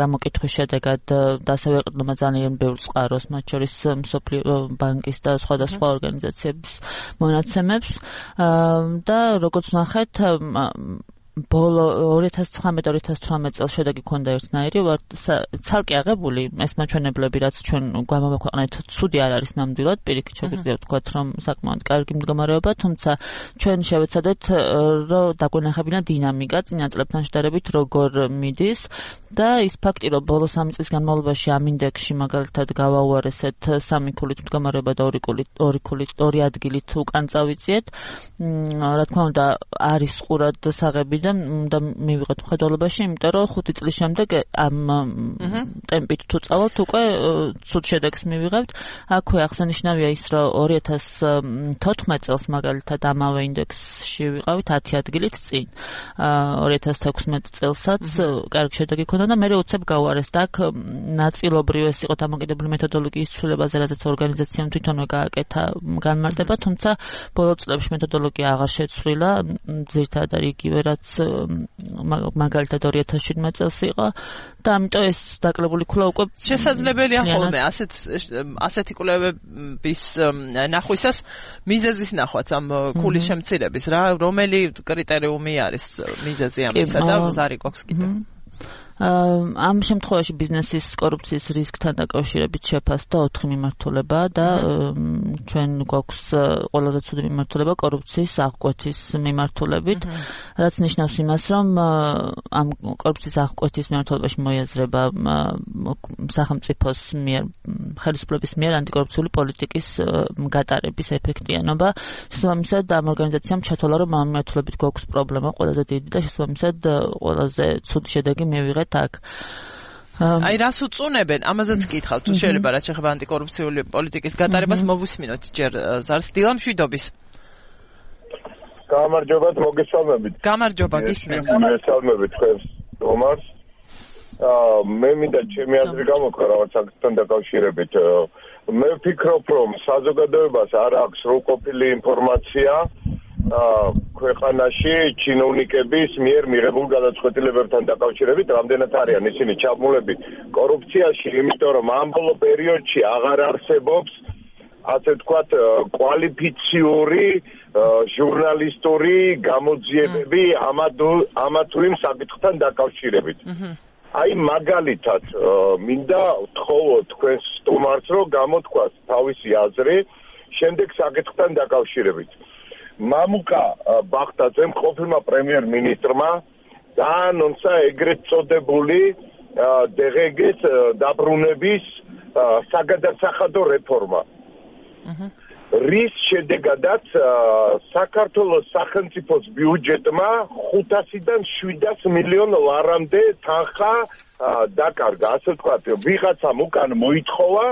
გამოკითხვის შედეგად და ასევე ეყრდნობა ძალიან ბევრ წყაროს, მათ შორის მსოფლიო ბანკის და სხვადასხვა ორგანიზაციების მონაცემებს და როგორც ნახეთ ბოლო ორი ათას ცხრამეტ ორი ათას თვრამეტ წელს შედეგი ქონდა ერთნაირი, ვარ ცალკე აღებული ეს მაჩვენებლები, რაც ჩვენ გვამოვაქვეყნეთ, ცუდი არ არის ნამდვილად, პირიქით შეგვიძლია ვთქვათ, რომ საკმაოდ კარგი მდგომარეობა, თუმცა ჩვენ შევეცადეთ, რომ დაგვენახებინა დინამიკა წინა წლებთან შედარებით როგორ მიდის და ის ფაქტი, რომ ბოლო სამი წლის განმავლობაში ამ ინდექსში მაგალითად გავაუარესეთ სამი ქულით მდგომარეობა და ორი ქულით ორი ქულით ორი ადგილით უკან წავიწიეთ, რა თქმა უნდა არის ყურად საღები და უნდა მივიღეთ მხედველობაში, იმიტომ რომ ხუთი წლის შემდეგ ამ ტემპით თუ წავალთ, უკვე ცუდ შედეგს მივიღებთ. აქვე აღსანიშნავია ის, რომ ორი ათას თოთხმეტ წელს მაგალითად ამავე ინდექსში ვიყავით ათი ადგილით წინ. ორი ათას თექვსმეტ წელსაც კარგი შედეგი ქონდა და მე უცებ გავუარეს და აქ ნაწილობრივ ეს იყო დამოკიდებული მეთოდოლოგიის ცვლილებაზე, რაზეც ორგანიზაციამ თვითონვე გააკეთა განმარტება, თუმცა ბოლო წლებში მეთოდოლოგია აღარ შეცვლილა, ძირითადად არის იგივე, რაც მაგალითად ორი ათას შვიდმეტ წელს იყო და ამიტომ ეს დაკლებული ქულა უკვე შესაძლებელია ხოლმე ასეთ ასეთი კვლევების ნახვისას მიზეზის ნახვაც ამ ქულის შემცირების რა რომელი კრიტერიუმი არის მიზეზი ამისა და ზარი გვაქვს კიდე ამ შემთხვევაში ბიზნესის კორუფციის რისკთან დაკავშირებით შეფასდა ოთხი მიმართულება და ჩვენ გვაქვს ყველაზე ცუდი მიმართულება კორუფციის აღკვეთის მიმართულებით, რაც ნიშნავს იმას, რომ ამ კორუფციის აღკვეთის მიმართულებაში მოიაზრება სახელმწიფოს მიერ ხელისუფლების მიერ ანტიკორუფციული პოლიტიკის გატარების ეფექტიანობა. შესაბამისად, ამ ორგანიზაციამ ჩათვალა, რომ ამ მიმართულებით გვაქვს პრობლემა ყველაზე დიდი და შესაბამისად ყველაზე ცუდი შედეგი მივიღეთ tak. Აი რას უწუნებენ? ამაზეც გითხავ, თუ შეიძლება რაც შეხება ანტიკორუფციული პოლიტიკის გატარებას მოვუსმინოთ ჯერ ზარს დილა მშვიდობის. გამარჯობათ, მოგესალმებით. გამარჯობა, გისმენთ. მოგესალმებით თქვენს რომას. აა მე მინდა ჩემი აზრი გამოვქვა რაღაც საკითხთან დაკავშირებით. მე ვფიქრობ, რომ საზოგადოებას არ აქვს სრულყოფილი ინფორმაცია ქვეყანაში ჩინოვნიკების მიერ მიღებულ გადაწყვეტილებებთან დაკავშირებით, რამდენად არიან ისინი ჩაბმულები კორუფციაში, იმიტომ რომ ამ ბოლო პერიოდში აღარ არსებობს ასე ვთქვათ კვალიფიციური ჟურნალისტური გამოძიებები ამა თუ იმ საკითხთან დაკავშირებით. აი მაგალითად მინდა ვთხოვო თქვენს სტუმარს, რომ გამოთქვას თავისი აზრი შემდეგ საკითხთან დაკავშირებით. მამუკა ბახტაძემ ყოფილმა პრემიერ-მინისტრმა დაანონსა ეგრეთ წოდებული დღგ-ის დაბრუნების საგადასახადო რეფორმა. რის შედეგადაც საქართველოს სახელმწიფოს ბიუჯეტმა ხუთასიდან შვიდას მილიონ ლარამდე თანხა დაკარგა, ასე ვთქვათ, ვიღაცამ უკან მოითხოვა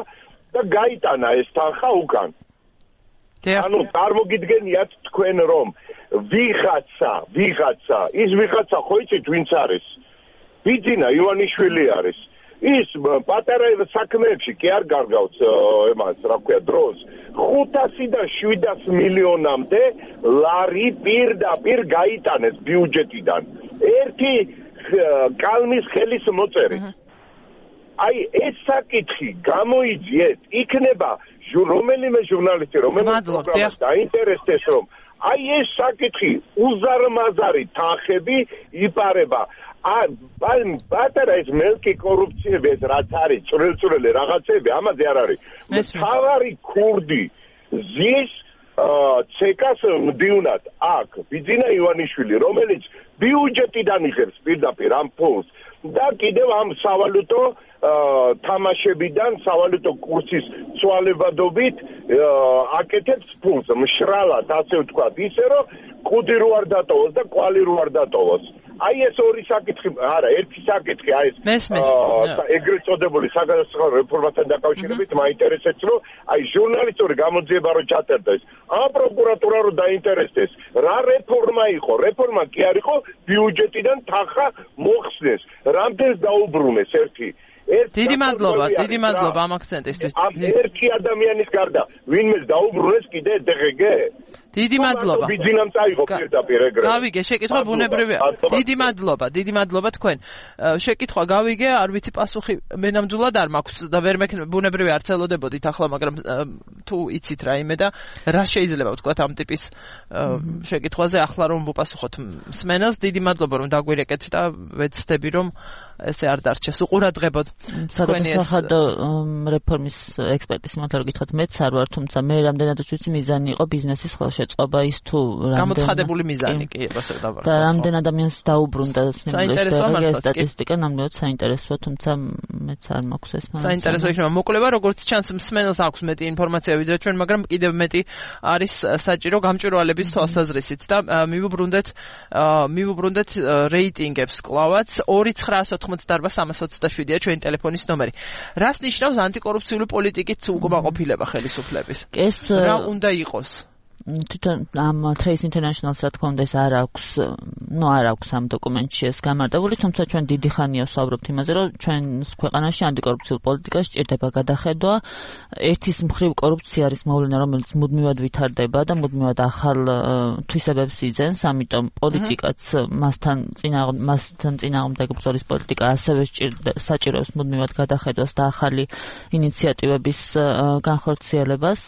და გაიტანა ეს თანხა უკან. ანუ წარმოგიდგენიათ თქვენ რომ ვიღაცა, ვიღაცა, ის ვიღაცა ხო იცით ვინც არის? ბიძინა ივანიშვილი არის. ის პატარა საქმეებში კი არ გარგავს ემას, რა ქვია, დროს. ხუთასიდან შვიდას მილიონამდე ლარი პირდაპირ გაიტანეს ბიუჯეტიდან. ერთი კალმის ხელის მოწერით. აი ეს საკითხი გამოიძიეთ, იქნება რომელიმე ჟურნალისტი, რომელიმე პროგრამა დაინტერესდეს, რომ აი ეს საკითხი უზარმაზარი თანხები იპარება. აი პატარა ეს მელკი კორუფციები ეს რაც არის, წვრილ-წვრილი რაღაცები, ამაზე არ არის. მთავარი ქურდი ზის ცეკას მდივნად აქ ბიძინა ივანიშვილი, რომელიც ბიუჯეტიდან იღებს პირდაპირ ამ ფულს და კიდევ ამ სავალუტო თამაშებიდან, სავალუტო კურსის ცვალებადობით აკეთებს ფულს, მშრალად, ასე ვთქვათ, ისე რომ კუდი რო არ დატოვოს და კვალი რო არ დატოვოს. აი ეს ორი საკითხი, არა, ერთი საკითხი, აი ეს მესმის ეგრეთ წოდებული საგადასახადო რეფორმასთან დაკავშირებით მაინტერესებს, რომ აი ჟურნალისტური გამოძიება რო ჩაწერდეს, ამ პროკურატურა რო დაინტერესდეს, რა რეფორმა იყო? რეფორმა კი არ იყო, ბიუჯეტიდან თანხა მოხსნეს, რამდენს დაუბრუნეს ერთი დიდი მადლობა, დიდი მადლობა ამ აქცენტისთვის. ამ ერთი ადამიანის გარდა ვინმეს დაუბრუნეს კიდე დე ღე გე? დიდი მადლობა. ბიძინამ წაიღო პირდაპირ ეგრე. გავიგე, შეკითხვა ბუნებრივია. დიდი მადლობა, დიდი მადლობა თქვენ. შეკითხვა გავიგე, არ ვიცი პასუხი მე ნამდვილად არ მაქვს და ვერ მექნება ბუნებრივია არ ცელოდებოდით ახლა, მაგრამ თუ იცით რაიმე და რა შეიძლება ვთქვათ ამ ტიპის შეკითხვაზე ახლა რომ ვუპასუხოთ მსმენელს, დიდი მადლობა რომ დაგვირეკეთ და ვეცდები რომ ესე არ დარჩეს უყურადღებოდ. საგადასახადო რეფორმის ექსპერტის მომთარ გითხრათ მეც არ ვარ, თუმცა მე რამდენადაც ვიცი მიზანი იყო ბიზნესის ხელშეწყობა ის თუ გამოცხადებული მიზანი კი ასე დავარ. და რამდენ ადამიანს დაუბრუნდა სტატისტიკა ნამდვილად საინტერესოა, თუმცა მეც არ მაქვს ეს მაგალითი. საინტერესო იქნება მოკვლევა, როგორც ჩანს მსმენელს აქვს მეტი ინფორმაცია ვიდრე ჩვენ, მაგრამ კიდევ მეტი არის საჭირო გამჭვირვალების თვალსაზრისით და მივუბრუნდეთ მივუბრუნდეთ რეიტინგებს კლავაც ორი ცხრაას ოთხმოცდაარბა სამას ოცდაშვიდია ჩვენი ტელეფონის ნომერი. რას ნიშნავს ანტიკორუფციული პოლიტიკით უკმაყოფილება ხელისუფლების? ეს რა უნდა იყოს? თვითონ ამ Trace International-ს რა თქმა უნდა ეს არ აქვს, ნუ არ აქვს ამ დოკუმენტში ეს გამარტავული, თუმცა ჩვენ დიდი ხანია ვსაუბრობთ იმაზე, რომ ჩვენს ქვეყანაში ანტიკორუფციულ პოლიტიკას სჭირდება გადახედვა. ერთის მხრივ კორუფცია არის მოვლენა, რომელიც მუდმივად ვითარდება და მუდმივად ახალ თვისებებს იძენს, ამიტომ პოლიტიკაც მასთან წინა მასთან წინააღმდეგ ბრძოლის პოლიტიკა ასევე საჭიროებს მუდმივად გადახედვას და ახალი ინიციატივების განხორციელებას.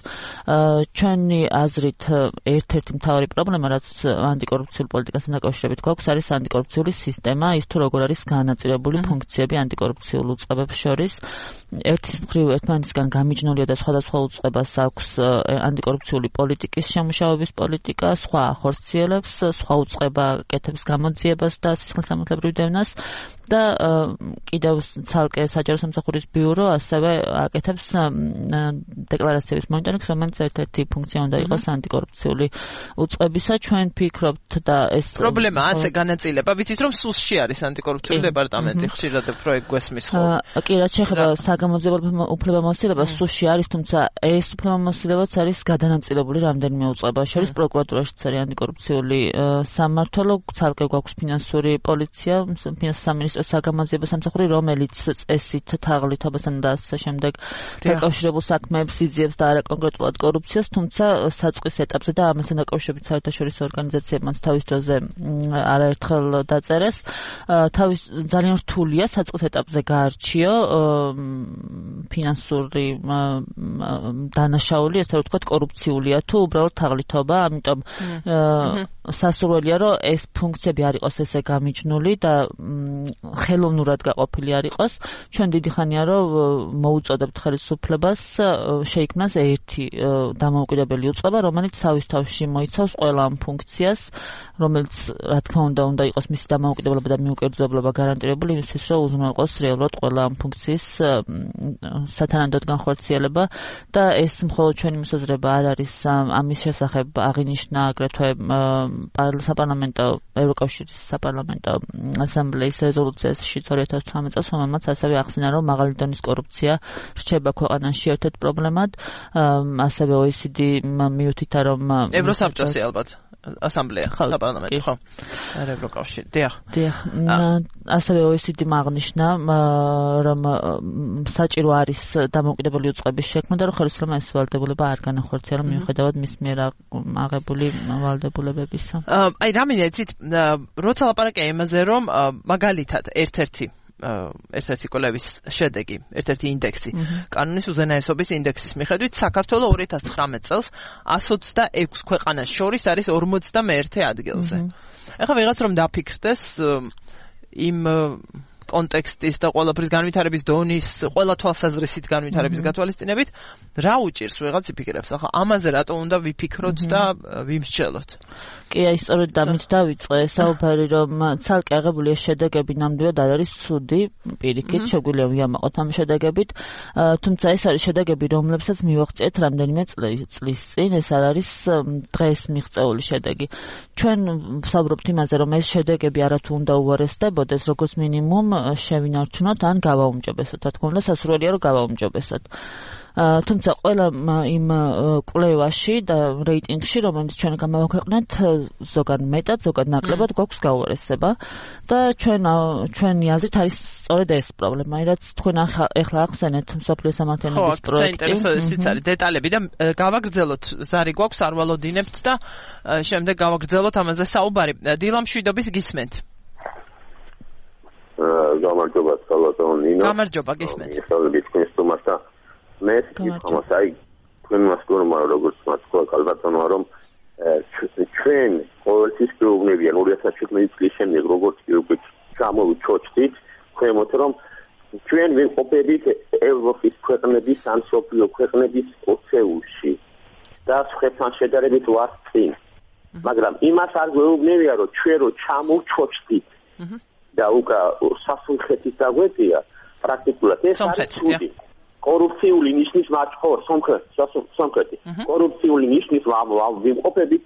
ჩვენი აზრით ერთ-ერთი მთავარი პრობლემა, რაც ანტიკორუფციულ პოლიტიკასთან დაკავშირებით გვაქვს, არის ანტიკორუფციული სისტემა, ის თუ როგორ არის განაწილებული ფუნქციები ანტიკორუფციულ უწყებებს შორის. ერთის მხრივ ერთმანეთისგან გამიჯნულია და სხვადასხვა უწყებას აქვს ანტიკორუფციული პოლიტიკის შემუშავების პოლიტიკა, სხვა ახორციელებს, სხვა უწყება კეთებს გამოძიებას და სისხლისამართლებრივ დევნას და კიდევ ცალკე საჯარო სამსახურის ბიურო ასევე აკეთებს დეკლარაციების მონიტორინგს, რომელიც ერთ-ერთი ფუნქცია უნდა იყოს ანტიკორუფციული უწყებისა. ჩვენ ფიქრობთ და ეს პრობლემა ასე განაწილება, ვიცით რომ სუსში არის ანტიკორუფციული დეპარტამენტი, ხშირად პროექტ გვესმის ხო? კი, რაც შეეხება საგამოძიებელ უფლებამოსილებას, სუსში არის, თუმცა ეს უფლებამოსილებაც არის გადანაწილებული რამდენიმე უწყებას შორის. პროკურატურაშიც არის ანტიკორუფციული სამმართველო, ცალკე გვაქვს ფინანსური პოლიცია, სამინისტროს საგამოძიებო სამსახური, რომელიც წესით თაღლითობასთან და ასე შემდეგ დაკავშირებულ საქმეებს იძიებს და არა კონკრეტულად კორუფციას, თუმცა საწყის ეტაპზე და ამასთან დაკავშირებით საერთაშორისო ორგანიზაციებმაც თავის დროზე არაერთხელ დაწერეს. თავის ძალიან რთულია საწყის ეტაპზე გაარჩიო ფინანსური დანაშაული, ესე ვთქვათ, კორუფციულია თუ უბრალოდ თაღლითობა, ამიტომ სასურველია, რომ ეს ფუნქციები არ იყოს ესე გამიჯნული და ხელოვნურად გაყოფილი არ იყოს. ჩვენ დიდი ხანია რომ მოუწოდებთ ხელისუფლებას შეიქმნას ერთი დამოუკიდებელი უწყება, რომელიც თავის თავში მოიცავს ყველა ამ ფუნქციას, რომელიც რა თქმა უნდა უნდა იყოს მისი დამოუკიდებლობა და მიუკერძოებლობა გარანტირებული იმისთვის, რომ უზრუნველყოს რეალურად ყველა ამ ფუნქციის სათანადოდ განხორციელება და ეს მხოლოდ ჩვენი მოსაზრება არ არის, ამის შესახებ აღინიშნა აგრეთვე საპარლამენტო ევროკავშირის საპარლამენტო ასამბლეის რეზოლუციაში ორი ათას თვრამეტ წელს, რომელმაც ასევე ახსენა, რომ მაღალი დონის კორუფცია რჩება ქვეყანაში ერთ-ერთ პრობლემად, ასევე ო ე სი დი მიუთითა, რომ ევროსაბჭოსი ალბათ ასამბლეა საპარლამენტო, ხო? არა ევროკავშირი. დიახ. დიახ. ასევე ო ე სი დი აღნიშნა, რომ საჭირო არის დამოუკიდებელი უწყების შექმნა და რომ ხელისუფლებამ ეს ვალდებულება არ განახორციელა მიუხედავად მის მიერ აღებული ვალდებულებებისა. აი რამე იცით, როცა ლაპარაკია იმაზე, რომ მაგალითად ერთ-ერთი ერთ-ერთი კვლევის შედეგი, ერთ-ერთი ინდექსი, კანონის უზენაესობის ინდექსის მიხედვით, საქართველოს ორი ათას ცხრამეტ წელს εκατს ოცდაექვსი ქვეყანას შორის არის ორმოცდამეერთე ადგილზე. ეხლა ვიღაც რომ დაფიქრდეს იმ კონტექსტის და ყველაფრის განვითარების დონის, ყველა თვალსაზრისით განვითარების გათვალისწინებით, რა უჭირს ვიღაც იფიქრებს, ახლა ამაზე რატო უნდა ვიფიქროთ და ვიმსჯელოთ? კი, აი სწორედ დამით დავიწყე საუბარი, რომ ცალკე აღებულია შედეგები, ნამდვილად არ არის ცუდი, პირიქით შეგვიძლია ვიამაყოთ ამ შედეგებით, თუმცა ეს არის შედეგები, რომლებსაც მივაღწიეთ რამდენიმე წლის წინ, ეს არ არის დღეს მიღწეული შედეგი. ჩვენ ვსაუბრობთ იმაზე, რომ ეს შედეგები არათუ უნდა უარესდებოდეს, როგორც მინიმუმ შევინარჩუნოთ ან გავაუმჯობესოთ, რა თქმა უნდა, სასურველია რომ გავაუმჯობესოთ. თუმცა ყველა იმ კვლევაში და რეიტინგში, რომელიც ჩვენ გამოვაქვეყნეთ, ზოგად მეტად, ზოგად ნაკლებად გვაქვს გაუარესება და ჩვენ ჩვენი აზრით არის სწორედ ეს პრობლემა, რაც თქვენ ახლა ახსენეთ მსოფლიო სამართლიანობის პროექტი. ხო, საინტერესოა არის დეტალები და გავაგრძელოთ, ზარი გვაქვს, არ ვალოდინებთ და შემდეგ გავაგრძელოთ ამაზე საუბარი. დილა მშვიდობის გისმენთ. გამარჯობა, სალათო ნინო. გამარჯობა, გისმენთ. ისწავლებით თქვენს თომასა. მე თვითონაც აი თქვენ მასკურმა როგორც მასკო ალბათონო რომ ჩვენ ყოველთვის გვეუბნებიან ორი ათას შვიდმეტი წლის შემდეგ როგორც უკვე გამოვიჩოჩდით ქვემოთ რომ ჩვენ ვიმყოფებით ევროპის ქვეყნების ან სოფლიო ქვეყნების ოცეულში და სხვებთან შედარებით ვართ წინ მაგრამ იმას არ გვეუბნებია რომ ჩვენ რო ჩამოვჩოჩდით და უკა სასუნხეთის დაგვეწია პრაქტიკულად ეს არის ცუდი კორუფციული ნიშნის მაჩხორ სომხეთი კორუფციული ნიშნის ვიმყოფებით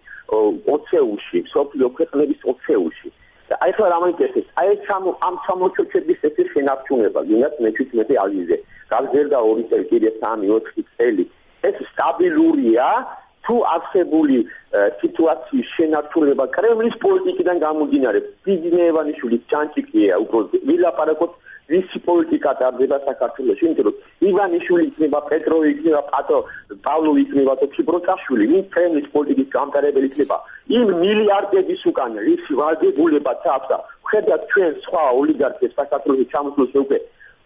ოცეულში სოფლიო ქვეყნების ოცეულში და აი ხლა რამაინტერესებს აი ეს ამ სამოჩოჩების ეს შენარჩუნება გინდათ მეჩვიდმეტე ალიზე გავზერდა ორი წელი კიდე სამი ოთხი წელი ეს სტაბილურია თუ არსებული სიტუაციის შენარჩუნება კრემლის პოლიტიკიდან გამომდინარე ბიზნესმენის ჩანჩიკია უბრალოდ ვილაპარაკოთ ვისი პოლიტიკა დარდება საქართველოში, იმიტომ რომ ივანიშვილი იქნება, პეტროვი იქნება, პატო, პავლოვი იქნება, თოფიბროწაშვილი, მის კრემლის პოლიტიკის გამტარებელი იქნება. იმ მილიარდების უკან რისი ვალდებულებაც აქვს და ხედავთ ჩვენ სხვა ოლიგარქებს საქართველოში ჩამოსულს უკვე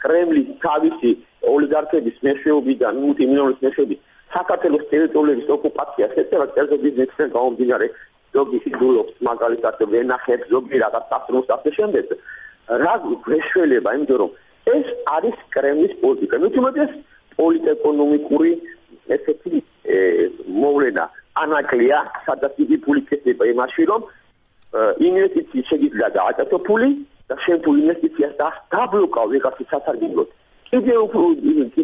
კრემლის თავისი ოლიგარქების მეშვეობიდან, მუტი მილიონის მეშვეობით საქართველოს ტერიტორიების ოკუპაციას ეწევა წერზე ბიზნესთან გამომდინარე ზოგი სიძულობს მაგალითად ვენახებს ზოგი რაღაც სასწრაფოს ასე შემდეგ. რა გვეშველება, იმიტომ რომ ეს არის კრემლის პოლიტიკა. ნუ თუმცა პოლიტეკონომიკური ესეთი მოვლენა ანაკლია, სადაც იგი ფული ქცევა იმაში, რომ ინვესტიციის შეიძლება გააკეთო ფული და შენ თუ ინვესტიციას დაბლოკავ ვიღაცის სასარგებლოდ. კიდევ უფრო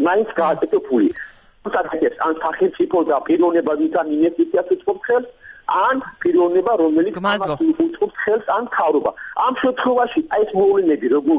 მაინც გააკეთო ფული. თუმცა ან სახელმწიფო და პიროვნება ვითარ ინვესტიციას უწყობს ხელს ან პიროვნება რომელიც ამას უწყობს ხელს ან თავრობა. ამ შემთხვევაში აი ეს მოვლენები როგორ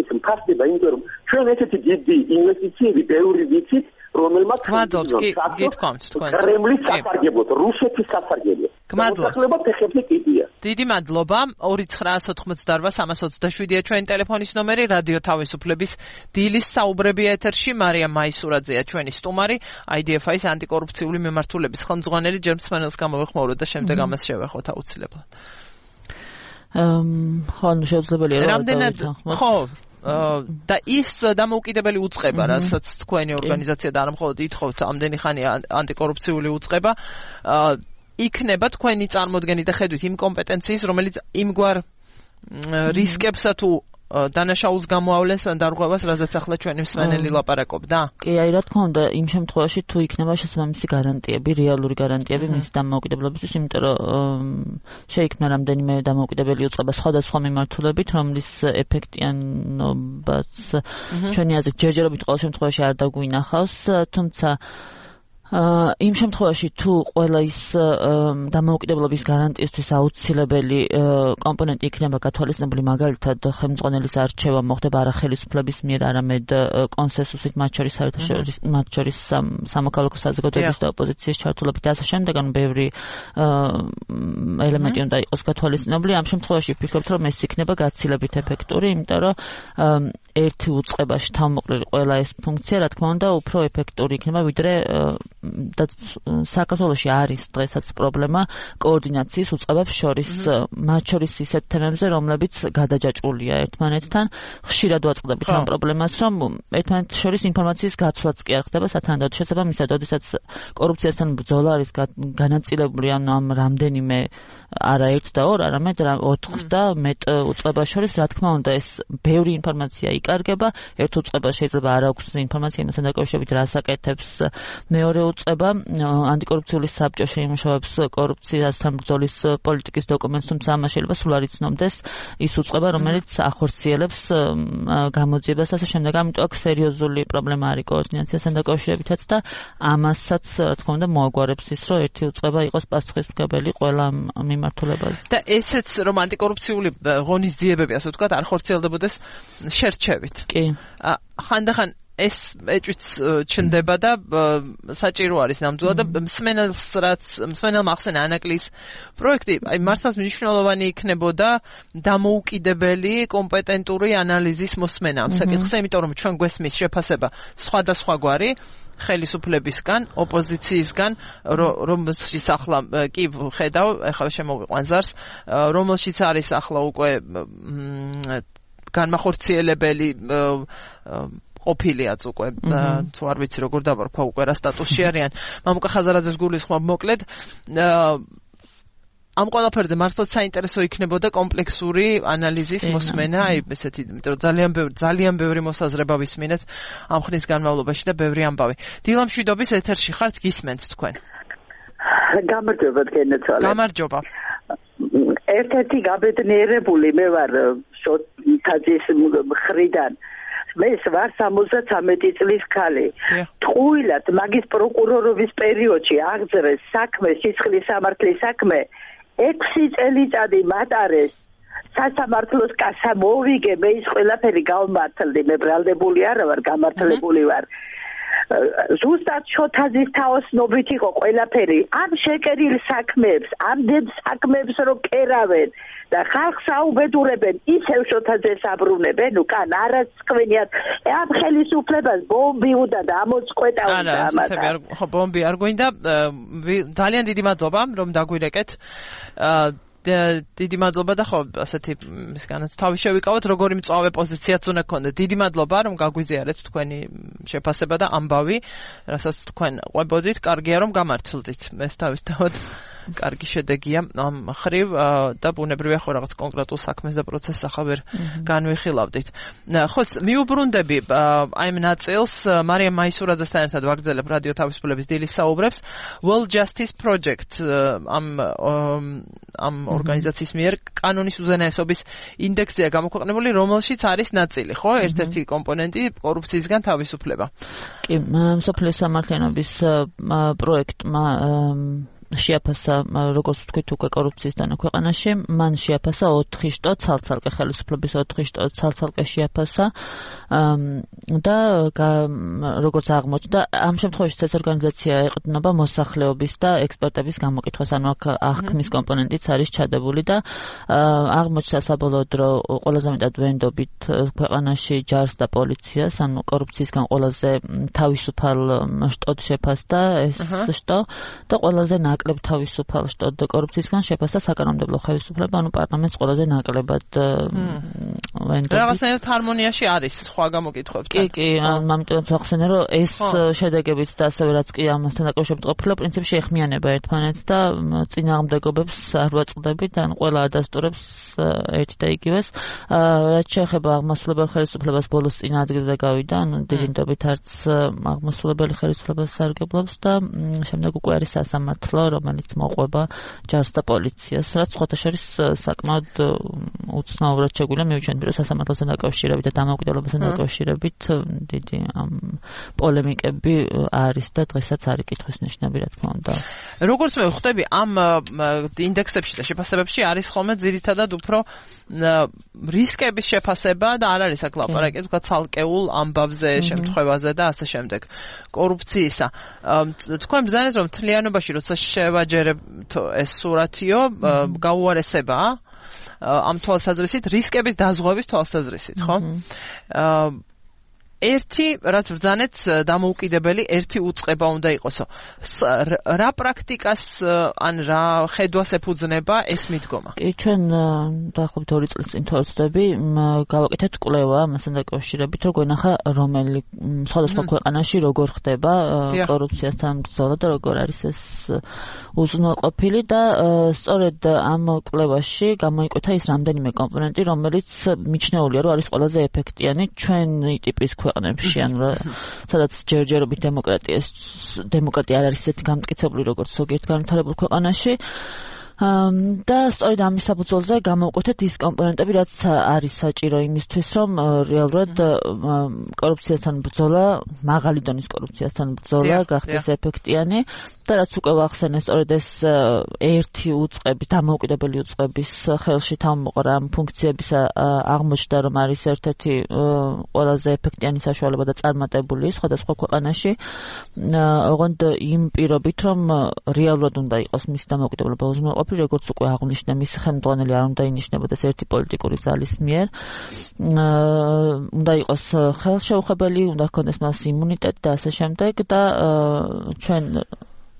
ეს ფასდება იმიტომ რომ ჩვენ ესეთი დიდი ინვესტიციები ბევრი ვიცით რომელმაც გმადლობთ კი გითქვამთ თქვენ კრემლის სასარგებლოდ რუსეთის სასარგებლოდ გმადლობთ ფეხებზე კიდია დიდი მადლობა ორი ცხრაას ოთხმოცდაორვა სამას ოცდაშვიდია ჩვენი ტელეფონის ნომერი რადიო თავისუფლების დილის საუბრები ეთერში მარიამ მაისურაძეა ჩვენი სტუმარი აი დი ეფ აის ანტიკორუფციული მემართულების ხელმძღვანელი ჯერ მსმენელს გამოვეხმაუროთ და შემდეგ ამას შევეხოთ აუცილებლად ხო ნუ შეუძლებელია რამდენად ხო და ის დამოუკიდებელი უწყება, რასაც თქვენი ორგანიზაცია და არა მხოლოდ ითხოვთ ამდენი ხანი ანტიკორუფციული უწყება, იქნება თქვენი წარმოდგენით და ხედვით იმ კომპეტენციის, რომელიც იმგვარ რისკებსა თუ დანაშაულს გამოავლენს ან დარღვევას, რაზეც ახლა ჩვენი მსმენელი ლაპარაკობდა? კი, აი რა თქმა უნდა, იმ შემთხვევაში თუ იქნება შესაბამისი გარანტიები, რეალური გარანტიები მისი დამოუკიდებლობისთვის, იმიტომ რომ შეიქმნა რამდენიმე დამოუკიდებელი უწყება სხვადასხვა მიმართულებით, რომლის ეფექტიანობაც ჩვენი აზრით ჯერჯერობით ყოველ შემთხვევაში არ დაგვინახავს, თუმცა იმ შემთხვევაში თუ ყველა ის დამოუკიდებლობის გარანტიისთვის აუცილებელი კომპონენტი იქნება გათვალისწინებული, მაგალითად ხელმძღვანელის არჩევა მოხდება არა ხელისუფლების მიერ, არამედ კონსენსუსით, მათ შორის საერთაშორისო მათ შორის სამოქალაქო საზოგადოების და ოპოზიციის ჩართულობით და ასე შემდეგ, ანუ ბევრი ელემენტი უნდა იყოს გათვალისწინებული. ამ შემთხვევაში ვფიქრობთ, რომ ეს იქნება გაცილებით ეფექტური, იმიტომ რომ ერთი უწყებაში თავმოყრილი ყველა ეს ფუნქცია, რა თქმა უნდა, უფრო ეფექტური იქნება, ვიდრე და საქართველოში არის დღესაც პრობლემა კოორდინაციის უწყებებს შორის, მათ შორის ისეთ თემებზე, რომლებიც გადაჯაჭვულია ერთმანეთთან. ხშირად ვაწყდებით ამ პრობლემას, რომ ერთმანეთს შორის ინფორმაციის გაცვლაც კი არ ხდება სათანადოდ. შესაბამისად, როდესაც კორუფციასთან ბრძოლა არის განაწილებული, ანუ ამ რამდენიმე არა ერთ და ორ, არამედ ოთხ და მეტ უწყებას შორის, რა თქმა უნდა, ეს ბევრი ინფორმაცია იკარგება. ერთ უწყებას შეიძლება არ აქვს ინფორმაცია იმასთან დაკავშირებით, რას აკეთებს მეორე უწყება. ანტიკორუფციული საბჭო შეიმუშავებს კორუფციასთან ბრძოლის პოლიტიკის დოკუმენტს, თუმცა ამას შეიძლება სულ არ იცნობდეს ის უწყება, რომელიც ახორციელებს გამოძიებას და ასე შემდეგ. ამიტომ აქ სერიოზული პრობლემა არის კოორდინაციასთან დაკავშირებითაც და ამასაც რა თქმა უნდა მოაგვარებს ის, რომ ერთი უწყება იყოს პასუხისმგებელი ყველა მიმართულებაზე. და ესეც რომ ანტიკორუფციული ღონისძიებები, ასე ვთქვათ, არ ხორციელდებოდეს შერჩევით. კი. ხანდახან ეს ეჭვიც ჩნდება და საჭირო არის ნამდვილად და მსმენელს რაც მსმენელმა ახსენა ანაკლის პროექტი, აი მართლაც მნიშვნელოვანი იქნებოდა დამოუკიდებელი კომპეტენტური ანალიზის მოსმენა ამ საკითხზე, იმიტომ რომ ჩვენ გვესმის შეფასება სხვადასხვაგვარი ხელისუფლებისგან, ოპოზიციისგან, რომელშიც ახლა კი ხედავ, ახლა შემოვიყვან ზარს, რომელშიც არის ახლა უკვე განმახორციელებელი ყოფილიაც უკვე თუ არ ვიცი როგორ დავარქვა უკვე რა სტატუსში არიან. მამუკა ხაზარაძეს გულისხმობ მოკლედ ამ ყველაფერზე მართლაც საინტერესო იქნებოდა კომპლექსური ანალიზის მოსმენა, აი ესეთი, იმიტომ რომ ძალიან ბევრი ძალიან ბევრი მოსაზრება ვისმინეთ ამ ხნის განმავლობაში და ბევრი ამბავი. დილა მშვიდობის ეთერში ხართ, გისმენთ თქვენ. გამარჯობა თქვენაცალე. გამარჯობა. ერთ-ერთი გაბედნიერებული მე ვარ შოთაძის მხრიდან. მე ვარ სამოცდათამეტი წლის ქალი. ტყუილად მაგის პროკურორობის პერიოდში აღძრეს საქმე, სისხლის სამართლის საქმე, ექვსი წელიწადი მატარეს. სასამართლოს კასა მოვიგე, მე ის ყველაფერი გავმართლდი, მე ბრალდებული არა ვარ, გამართლებული ვარ. ზუსტად შოთაძის თაოსნობით იყო ყველაფერი. ამ შეკერილ საქმეებს, ამდენ საქმეებს რო კერავენ და ხალხს აუბედურებენ, ისევ შოთაძეს აბრუნებენ, უკან არასწყვენიათ. ამ ხელისუფლებას ბომბი უნდა და ამოწყვეტავდა ამას. არა, ხო, ბომბი არ გვინდა. ძალიან დიდი მადლობა, რომ დაგვირეკეთ. დიდი მადლობა და ხო, ასეთი მისგანაც თავი შევიკავოთ, როგორი მწვავე პოზიციაც უნდა გქონდეთ. დიდი მადლობა, რომ გაგვიზიარეთ თქვენი შეფასება და ამბავი, რასაც თქვენ ყვებოდით. კარგია, რომ გამართლდით. ეს თავისთავად კარგი შედეგია ამ ხრივ და ბუნებრივია ხო რაღაც კონკრეტულ საქმეს და პროცესს ახლა ვერ განვიხილავდით. ხო, მიუბრუნდები აი ამ ნაწილს მარიამ მაისურაძესთან ერთად ვაგრძელებ რადიო თავისუფლების დილის საუბრებს. World Justice Project ამ ამ ორგანიზაციის მიერ კანონის უზენაესობის ინდექსია გამოქვეყნებული, რომელშიც არის ნაწილი, ხო? ერთ-ერთი კომპონენტი კორუფციისგან თავისუფლება. კი, მსოფლიო სამართლიანობის პროექტმა შეაფასა, როგორც ვთქვით, უკვე კორუფციისგან ქვეყანაში, მან შეაფასა ოთხი შტო ცალ-ცალკე ხელისუფლების ოთხი შტო ცალ-ცალკე შეაფასა და როგორც აღმოჩნდა, ამ შემთხვევაში ეს ორგანიზაცია ეყრდნობა მოსახლეობის და ექსპერტების გამოკითხვას, ანუ აქ აღქმის კომპონენტიც არის ჩადებული და აღმოჩნდა საბოლოოდ, რომ ყველაზე მეტად ვენდობით ქვეყანაში ჯარს და პოლიციას, ანუ კორუფციისგან ყველაზე თავისუფალ შტოდ შეფასდა ეს შტო და ყველაზე ნაკლებ თავისუფალ შტოდ და კორუფციისგან შეფასდა საკანონმდებლო ხელისუფლება, ანუ პარლამენტს ყველაზე ნაკლებად ვენდობით. რაღაცნაირად ჰარმონიაში არის სხვა გამოკითხვებთან. კი, კი, ამიტომ ვახსენე, რომ ეს შედეგებიც და ასევე რაც კი ამასთან დაკავშირებით ყოფილა, პრინციპში ეხმიანება ერთმანეთს და წინააღმდეგობებს არ ვაწყდებით, ან ყველა ადასტურებს ერთ და იგივეს. რაც შეეხება აღმასრულებელ ხელისუფლებას, ბოლოს წინა ადგილზე გავიდა, ანუ დიდი ნდობით არც აღმასრულებელი ხელისუფლებას სარგებლობს და შემდეგ უკვე არის სასამართლო, რომელიც მოყვება ჯარს და პოლიციას, რაც სხვათა შორის საკმაოდ უცნაურად შეგვიძლია მივიჩვენოთ, რომ სასამართლოსთან დაკავშირებით და დამოუკიდებლობასთან დაკავშირებით დიდი პოლემიკები არის და დღესაც არის კითხვის ნიშნები, რა თქმა უნდა. როგორც მე ვხვდები, ამ ინდექსებში და შეფასებებში არის ხოლმე ძირითადად უფრო რისკების შეფასება და არ არის აქ ლაპარაკი, თქვა ცალკეულ ამბავზე, შემთხვევაზე და ასე შემდეგ. კორუფციისა. თქვენ ბრძანეთ, რომ მთლიანობაში როცა შევაჯერებთ ეს სურათიო, გაუარესება ამ თვალსაზრისით, რისკების დაზღვევის თვალსაზრისით, ხო? ერთი რაც ბრძანეთ დამოუკიდებელი ერთი უწყება უნდა იყოსო. რა პრაქტიკას ან რა ხედვას ეფუძნება ეს მიდგომა? კი, ჩვენ დაახლოებით ორი წლის წინ თორცდები გავაკეთეთ კვლევა ამასთან დაკავშირებით, რომ გვენახა რომელი სხვადასხვა ქვეყანაში როგორ ხდება კორუფციასთან ბრძოლა და როგორ არის ეს უზრუნველყოფილი და სწორედ ამ კვლევაში გამოიკვეთა ის რამდენიმე კომპონენტი, რომელიც მიჩნეულია, რომ არის ყველაზე ეფექტიანი ჩვენი ტიპის ქვეყნებში, ანუ სადაც ჯერჯერობით დემოკრატიას დემოკრატია არ არის ისეთი გამტკიცებული, როგორც ზოგიერთ განვითარებულ ქვეყანაში. და სწორედ ამის საფუძველზე გამოვკვეთეთ ის კომპონენტები, რაც არის საჭირო იმისთვის, რომ რეალურად კორუფციასთან ბრძოლა, მაღალი დონის კორუფციასთან ბრძოლა გახდეს ეფექტიანი და რაც უკვე ვახსენე, სწორედ ეს ერთი უწყების, დამოუკიდებელი უწყების ხელში თავმოყრა ამ ფუნქციების აღმოჩნდა, რომ არის ერთ-ერთი ყველაზე ეფექტიანი საშუალება და წარმატებული სხვადასხვა ქვეყანაში. ოღონდ იმ პირობით, რომ რეალურად უნდა იყოს მისი დამოუკიდებლობა უზრუნველყოფილი, როგორც უკვე აღნიშნე, მისი ხელმძღვანელი არ უნდა ინიშნებოდეს ერთი პოლიტიკური ძალის მიერ. უნდა იყოს ხელშეუხებელი, უნდა ჰქონდეს მას იმუნიტეტი და ასე შემდეგ და ჩვენ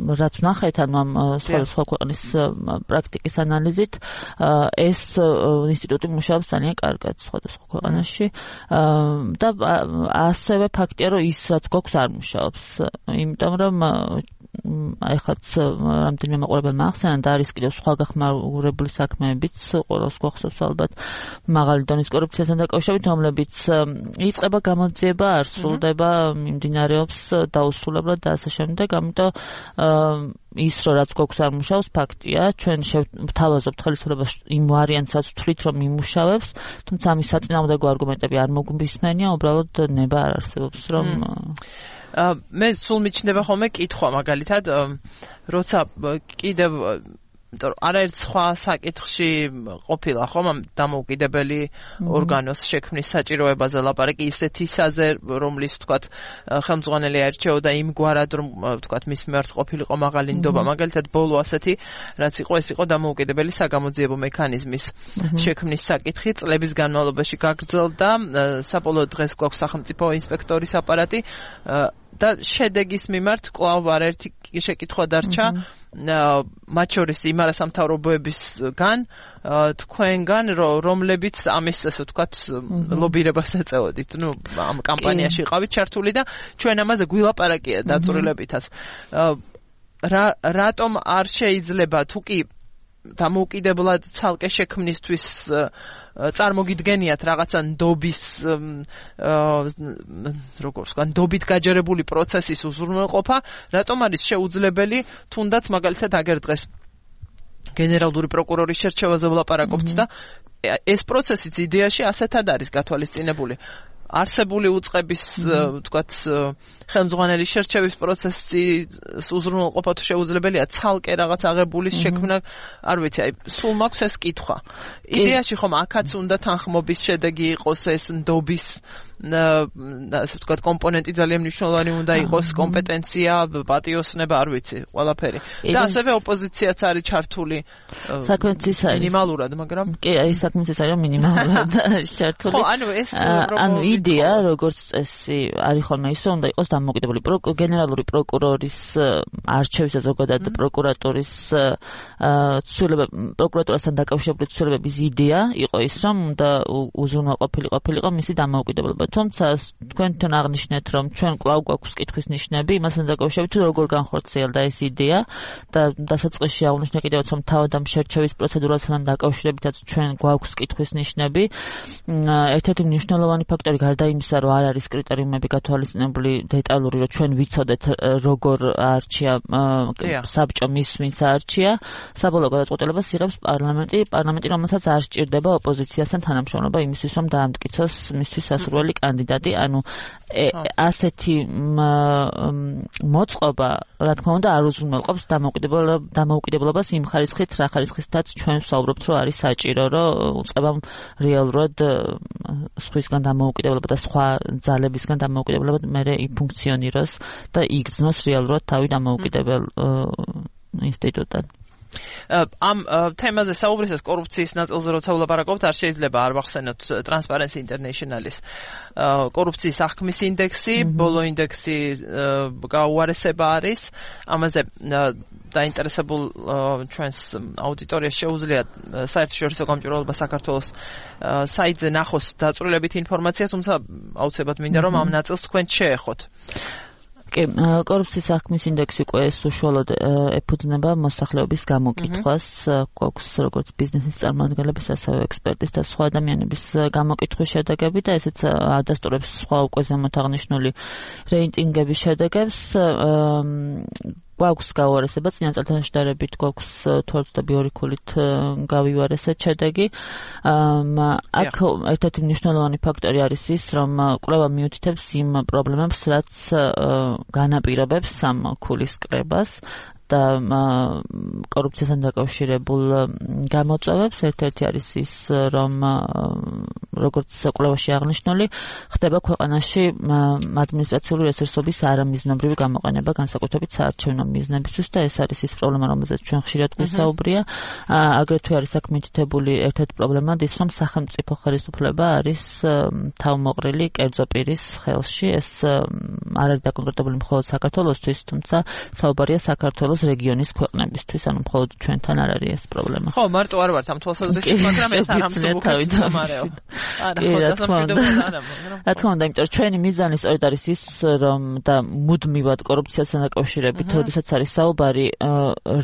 რაც ვნახეთ ანუ ამ სხვადასხვა ქვეყნის პრაქტიკის ანალიზით, ეს ინსტიტუტი მუშაობს ძალიან კარგად სხვადასხვა ქვეყანაში და ასევე ფაქტია, რომ ის რაც გვაქვს არ მუშაობს, იმიტომ რომ ეხლაც რამდენიმე მაყურებელმა ახსენა და არის კიდევ სხვა გახმაურებული საქმეებიც, ყველას გვახსოვს ალბათ მაღალი დონის კორუფციასთან დაკავშირებით, რომლებიც იწყება, გამოძიება, არ სრულდება, მიმდინარეობს დაუსრულებლად და ასე შემდეგ, ამიტომ ის რო რაც გვაქვს არ მუშაობს, ფაქტია, ჩვენ შევთავაზობთ ხელისუფლებას იმ ვარიანტს, რაც ვთვლით, რომ იმუშავებს, თუმცა ამის საწინააღმდეგო არგუმენტები არ მოგვისმენია, უბრალოდ ნება არ არსებობს, რომ მე სულ მიჩნდება ხოლმე კითხვა მაგალითად, როცა კიდევ არაერთ სხვა საკითხში ყოფილა ხომ ამ დამოუკიდებელი ორგანოს შექმნის საჭიროებაზე ლაპარაკი ისეთისაზე, რომლის ვთქვათ ხელმძღვანელი აირჩეოდა იმგვარად, რომ ვთქვათ მის მიმართ ყოფილიყო მაღალი ნდობა, მაგალითად ბოლო ასეთი რაც იყო, ეს იყო დამოუკიდებელი საგამოძიებო მექანიზმის შექმნის საკითხი, წლების განმავლობაში გაგრძელდა, საბოლოო დღეს გვაქვს სახელმწიფო ინსპექტორის აპარატი და შედეგის მიმართ კვლავ არაერთი შეკითხვა დარჩა, მათ შორის იმ არასამთავრობოებისგან, თქვენგან, რომლებიც ამის ასე ვთქვათ ლობირებას ეწეოდით, ნუ ამ კამპანიაში იყავით ჩართული და ჩვენ ამაზე გვილაპარაკია დაწვრილებითაც. რატომ არ შეიძლება თუ კი დამოუკიდებლად ცალკე შექმნისთვის წარმოგიდგენიათ რაღაცა ნდობის როგორც ვთქვათ, ნდობით გაჯერებული პროცესის უზრუნველყოფა, რატომ არის შეუძლებელი თუნდაც მაგალითად აგერ დღეს გენერალური პროკურორის შერჩევაზე ვლაპარაკობთ და ეს პროცესიც იდეაში ასეთად არის გათვალისწინებული. არსებული უწყების ვთქვათ ხელმძღვანელის შერჩევის პროცესის უზრუნველყოფა თუ შეუძლებელია ცალკე რაღაც აღებულის შექმნა, არ ვიცი, აი სულ მაქვს ეს კითხვა. იდეაში ხომ აქაც უნდა თანხმობის შედეგი იყოს ეს ნდობის ასე ვთქვათ კომპონენტი ძალიან მნიშვნელოვანი უნდა იყოს, კომპეტენცია, პატიოსნება, არ ვიცი, ყველაფერი. და ასევე ოპოზიციაც არის ჩართული მინიმალურად, მაგრამ კი, აი საქმეც ის არის მინიმალურად ჩართული. ხო, ანუ ეს ანუ იდეა, როგორც წესი, არის ხოლმე ის, რომ უნდა იყოს დამოუკიდებელი გენერალური პროკურორის არჩევის და ზოგადად პროკურატურის ცვლილებები, პროკურატურასთან დაკავშირებული ცვლილებების იდეა იყო ის, რომ უნდა უზრუნველყოფილი ყოფილიყო მისი დამოუკიდებლობა. თუმცა თქვენთან აღნიშნეთ, რომ ჩვენ კვლავ გვაქვს კითხვის ნიშნები, იმასთან დაკავშირებით, როგორ განხორციელდა ეს იდეა და დასაწყისში აღნიშნე კიდევაც, რომ თავად ამ შერჩევის პროცედურასთან დაკავშირებითაც ჩვენ გვაქვს კითხვის ნიშნები. ერთ-ერთი მნიშვნელოვანი ფაქტორი გარდა იმისა, რომ არ არის კრიტერიუმები გათვალისწინებული დეტალური, რომ ჩვენ ვიცოდეთ როგორ არჩია საბჭო მის ვინც არჩია, საბოლოო გადაწყვეტილებას იღებს პარლამენტი, პარლამენტი, რომელსაც არ სჭირდება ოპოზიციასთან თანამშრომლობა იმისთვის, რომ დაამტკიცოს მისთვის სასურველი კანდიდატი, ანუ ასეთი მოწყობა, რა თქმა უნდა, არ უზრუნველყოფს დამოუკიდებლობას იმ ხარისხით, რა ხარისხითაც ჩვენ ვსაუბრობთ, რომ არის საჭირო, რომ უწყებამ რეალურად სხვისგან დამოუკიდებლობა და სხვა ძალებისგან დამოუკიდებლობა მერე იფუნქციონიროს და იგრძნოს რეალურად თავი დამოუკიდებელ ინსტიტუტად. ამ თემაზე საუბრისას კორუფციის ნაწილზე როცა ვლაპარაკობთ, არ შეიძლება არ ვახსენოთ Transparency International-ის კორუფციის აღქმის ინდექსი, ბოლო ინდექსი გაუარესება არის. ამაზე დაინტერესებულ ჩვენს აუდიტორიას შეუძლია საერთაშორისო გამჭვირვალობა საქართველოს საიტზე ნახოს დაწვრილებითი ინფორმაცია, თუმცა აუცილებლად მინდა რომ ამ ნაწილს თქვენ შეეხოთ. კი, კორუფციის აღქმის ინდექსი უკვე უშუალოდ ეფუძნება მოსახლეობის გამოკითხვას, გვაქვს როგორც ბიზნესის წარმომადგენლების, ასევე ექსპერტის და სხვა ადამიანების გამოკითხვის შედეგები და ესეც ადასტურებს სხვა უკვე ზემოთ აღნიშნული რეიტინგების შედეგებს. გვაქვს გაუარესება, წინა წელთან შედარებით გვაქვს თორმეტ ქულით გავივარესეთ შედეგი. აქ ერთ-ერთი მნიშვნელოვანი ფაქტორი არის ის, რომ კვლევა მიუთითებს იმ პრობლემებს, რაც განაპირობებს ამ ქულის კრებას და კორუფციასთან დაკავშირებულ გამოწვევებს. ერთ-ერთი არის ის, რომ როგორც კვლევაში აღნიშნული, ხდება ქვეყანაში ადმინისტრაციული რესურსების არამიზნობრივი გამოყენება, განსაკუთრებით საარჩევნო მიზნებისთვის და ეს არის ის პრობლემა, რომელზეც ჩვენ ხშირად გვისაუბრია. აგრეთვე არის აქ მითითებული ერთ-ერთი პრობლემა ის, რომ სახელმწიფო ხელისუფლება არის თავმოყრილი კერძო პირის ხელში. ეს არ არის დაკონკრეტებული მხოლოდ საქართველოსთვის, თუმცა საუბარია საქართველოს რეგიონის ქვეყნებისთვის, ანუ მხოლოდ ჩვენთან არ არის ეს პრობლემა. ხო, მარტო არ ვართ ამ თვალსაზრისით, მაგრამ ეს არ ამსუბუქებს გამარეო. არა, ხო, დასამკვირვებლად არა, მაგრამ რა თქმა უნდა, იმიტომ რომ ჩვენი მიზანი სწორედ არის ის, რომ და მუდმივად კორუფციასთან დაკავშირებით, როდესაც არის საუბარი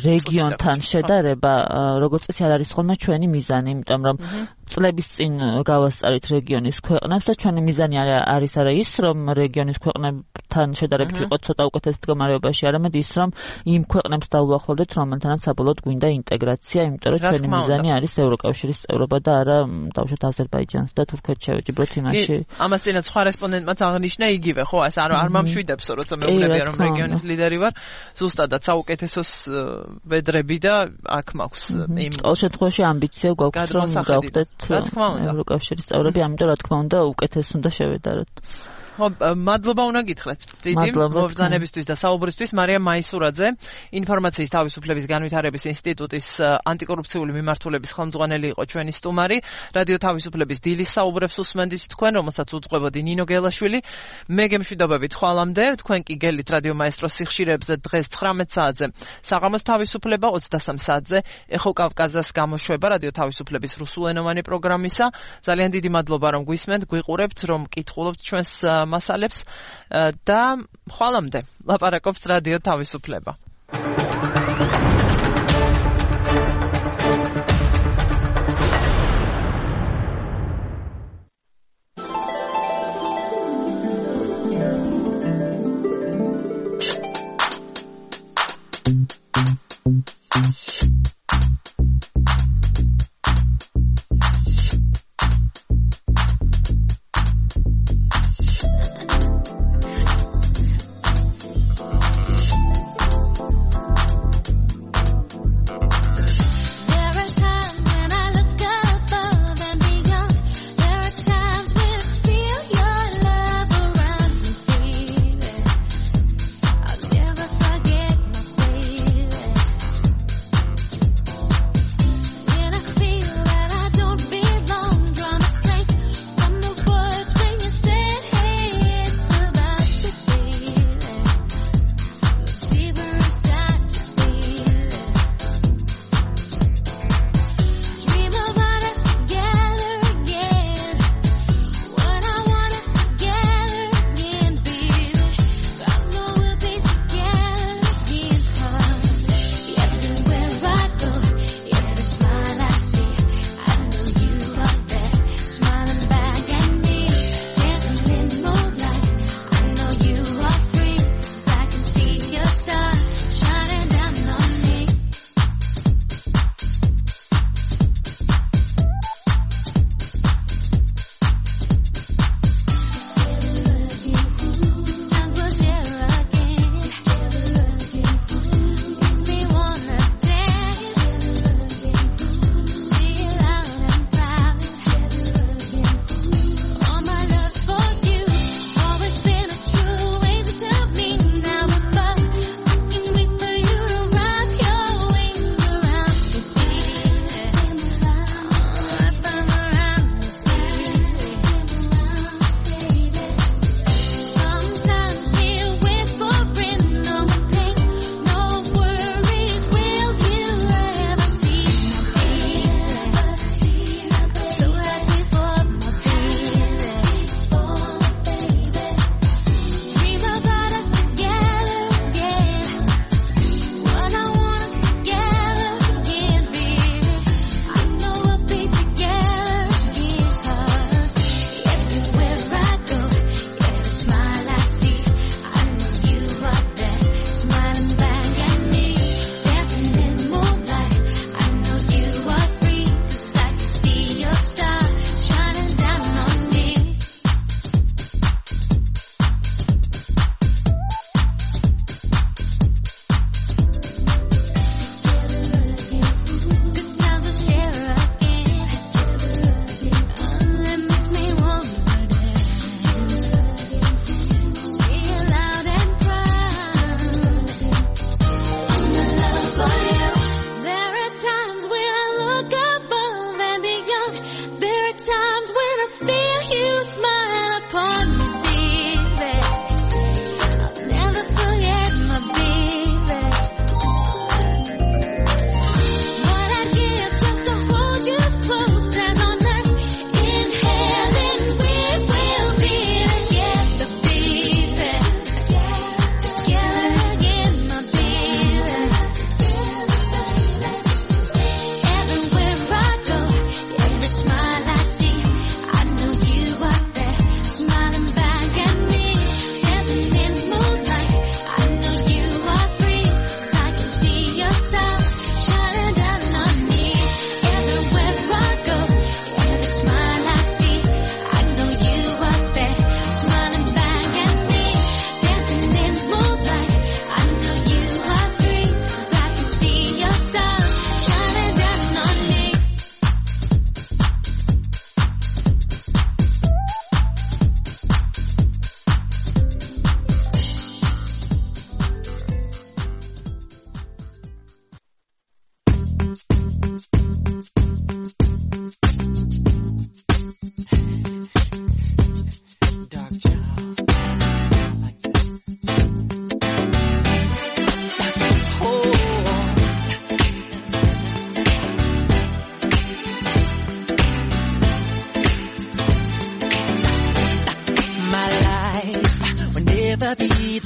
რეგიონთან შედარება, როგორც წესი არ არის ხოლმე ჩვენი მიზანი, იმიტომ რომ წლების წინ გავასწარით რეგიონის ქვეყნებს და ჩვენი მიზანი არის არა ის, რომ რეგიონის ქვეყნებთან შედარებით ვიყოთ ცოტა უკეთეს მდგომარეობაში, არამედ ის, რომ იმ ქვეყნებს დაუახლოვდეთ, რომელთანაც საბოლოოდ გვინდა ინტეგრაცია, იმიტომ რომ ჩვენი მიზანი არის ევროკავშირის წევრობა და არა დავუშვათ აზერბაიჯანს და თურქეთს შევეჯიბროთ იმაში. ამას წინათ სხვა რესპონდენტმაც აღნიშნა იგივე, ხო, ეს არ არ მომშვიდებსო, როცა მეუბნებია რომ რეგიონის ლიდერი ვარ, ზუსტადაც საუკეთესოს ვედრები და აქ მაქვს იმ ყოველ შემთხვევაში ამბიცია გვაქვს რომ გავხდეთ ევროკავშირის წევრები, ამიტომ რა თქმა უნდა უკეთეს უნდა შევედაროთ. ხო, მადლობა უნდა გითხრათ დიდი მობრძანებისთვის და საუბრისთვის. მარიამ მაისურაძე, ინფორმაციის თავისუფლების განვითარების ინსტიტუტის ანტიკორუფციული მიმართულების ხელმძღვანელი იყო ჩვენი სტუმარი. რადიო თავისუფლების დილის საუბრებს უსმენდით თქვენ, რომელსაც უძღვებოდი ნინო გელაშვილი. მე გემშვიდობებით ხვალამდე, თქვენ კი გელით რადიო მაესტროს სიხშირეებზე დღეს ცხრამეტ საათზე საღამოს თავისუფლება, ოცდასამ საათზე ეხო კავკაზას გამოშვება რადიო თავისუფლების რუსულენოვანი პროგრამისა. ძალიან დიდი მადლობა რომ გვისმენთ, გვიყურებთ, რომ კითხულობთ ჩვენს მასალებს და ხვალამდე ლაპარაკობს რადიო თავისუფლება.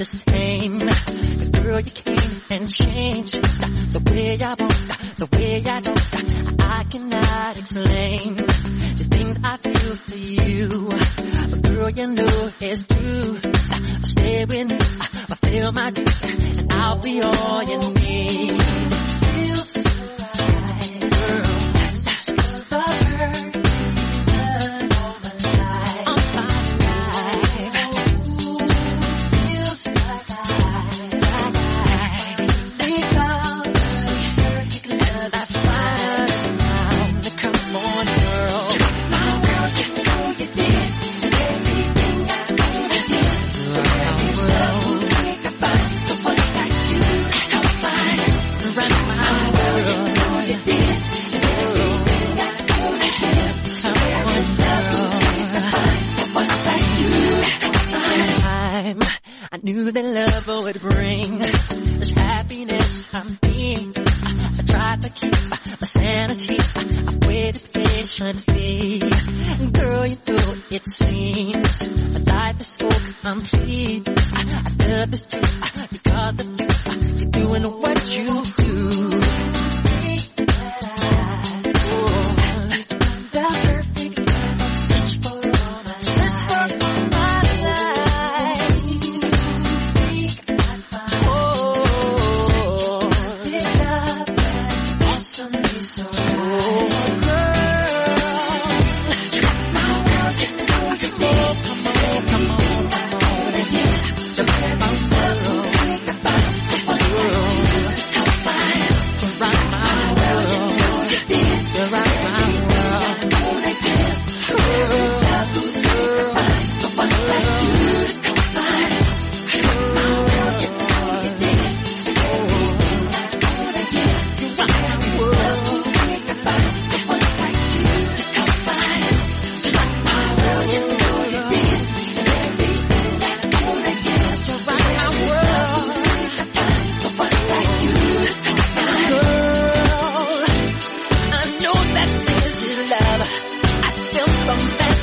the same. But girl, you came and changed the way I walk, the way I talk. I cannot explain the things I feel for you. But girl, you know it's true. I stay with you, I feel my dues, and I'll be all you need. Feels so right, girl. That's the hurt. Knew that love would bring this happiness to me. I tried to keep my sanity. I waited patiently. And girl, you know it seems my life is so complete. I, I love the truth because of you. You're doing what you do. From that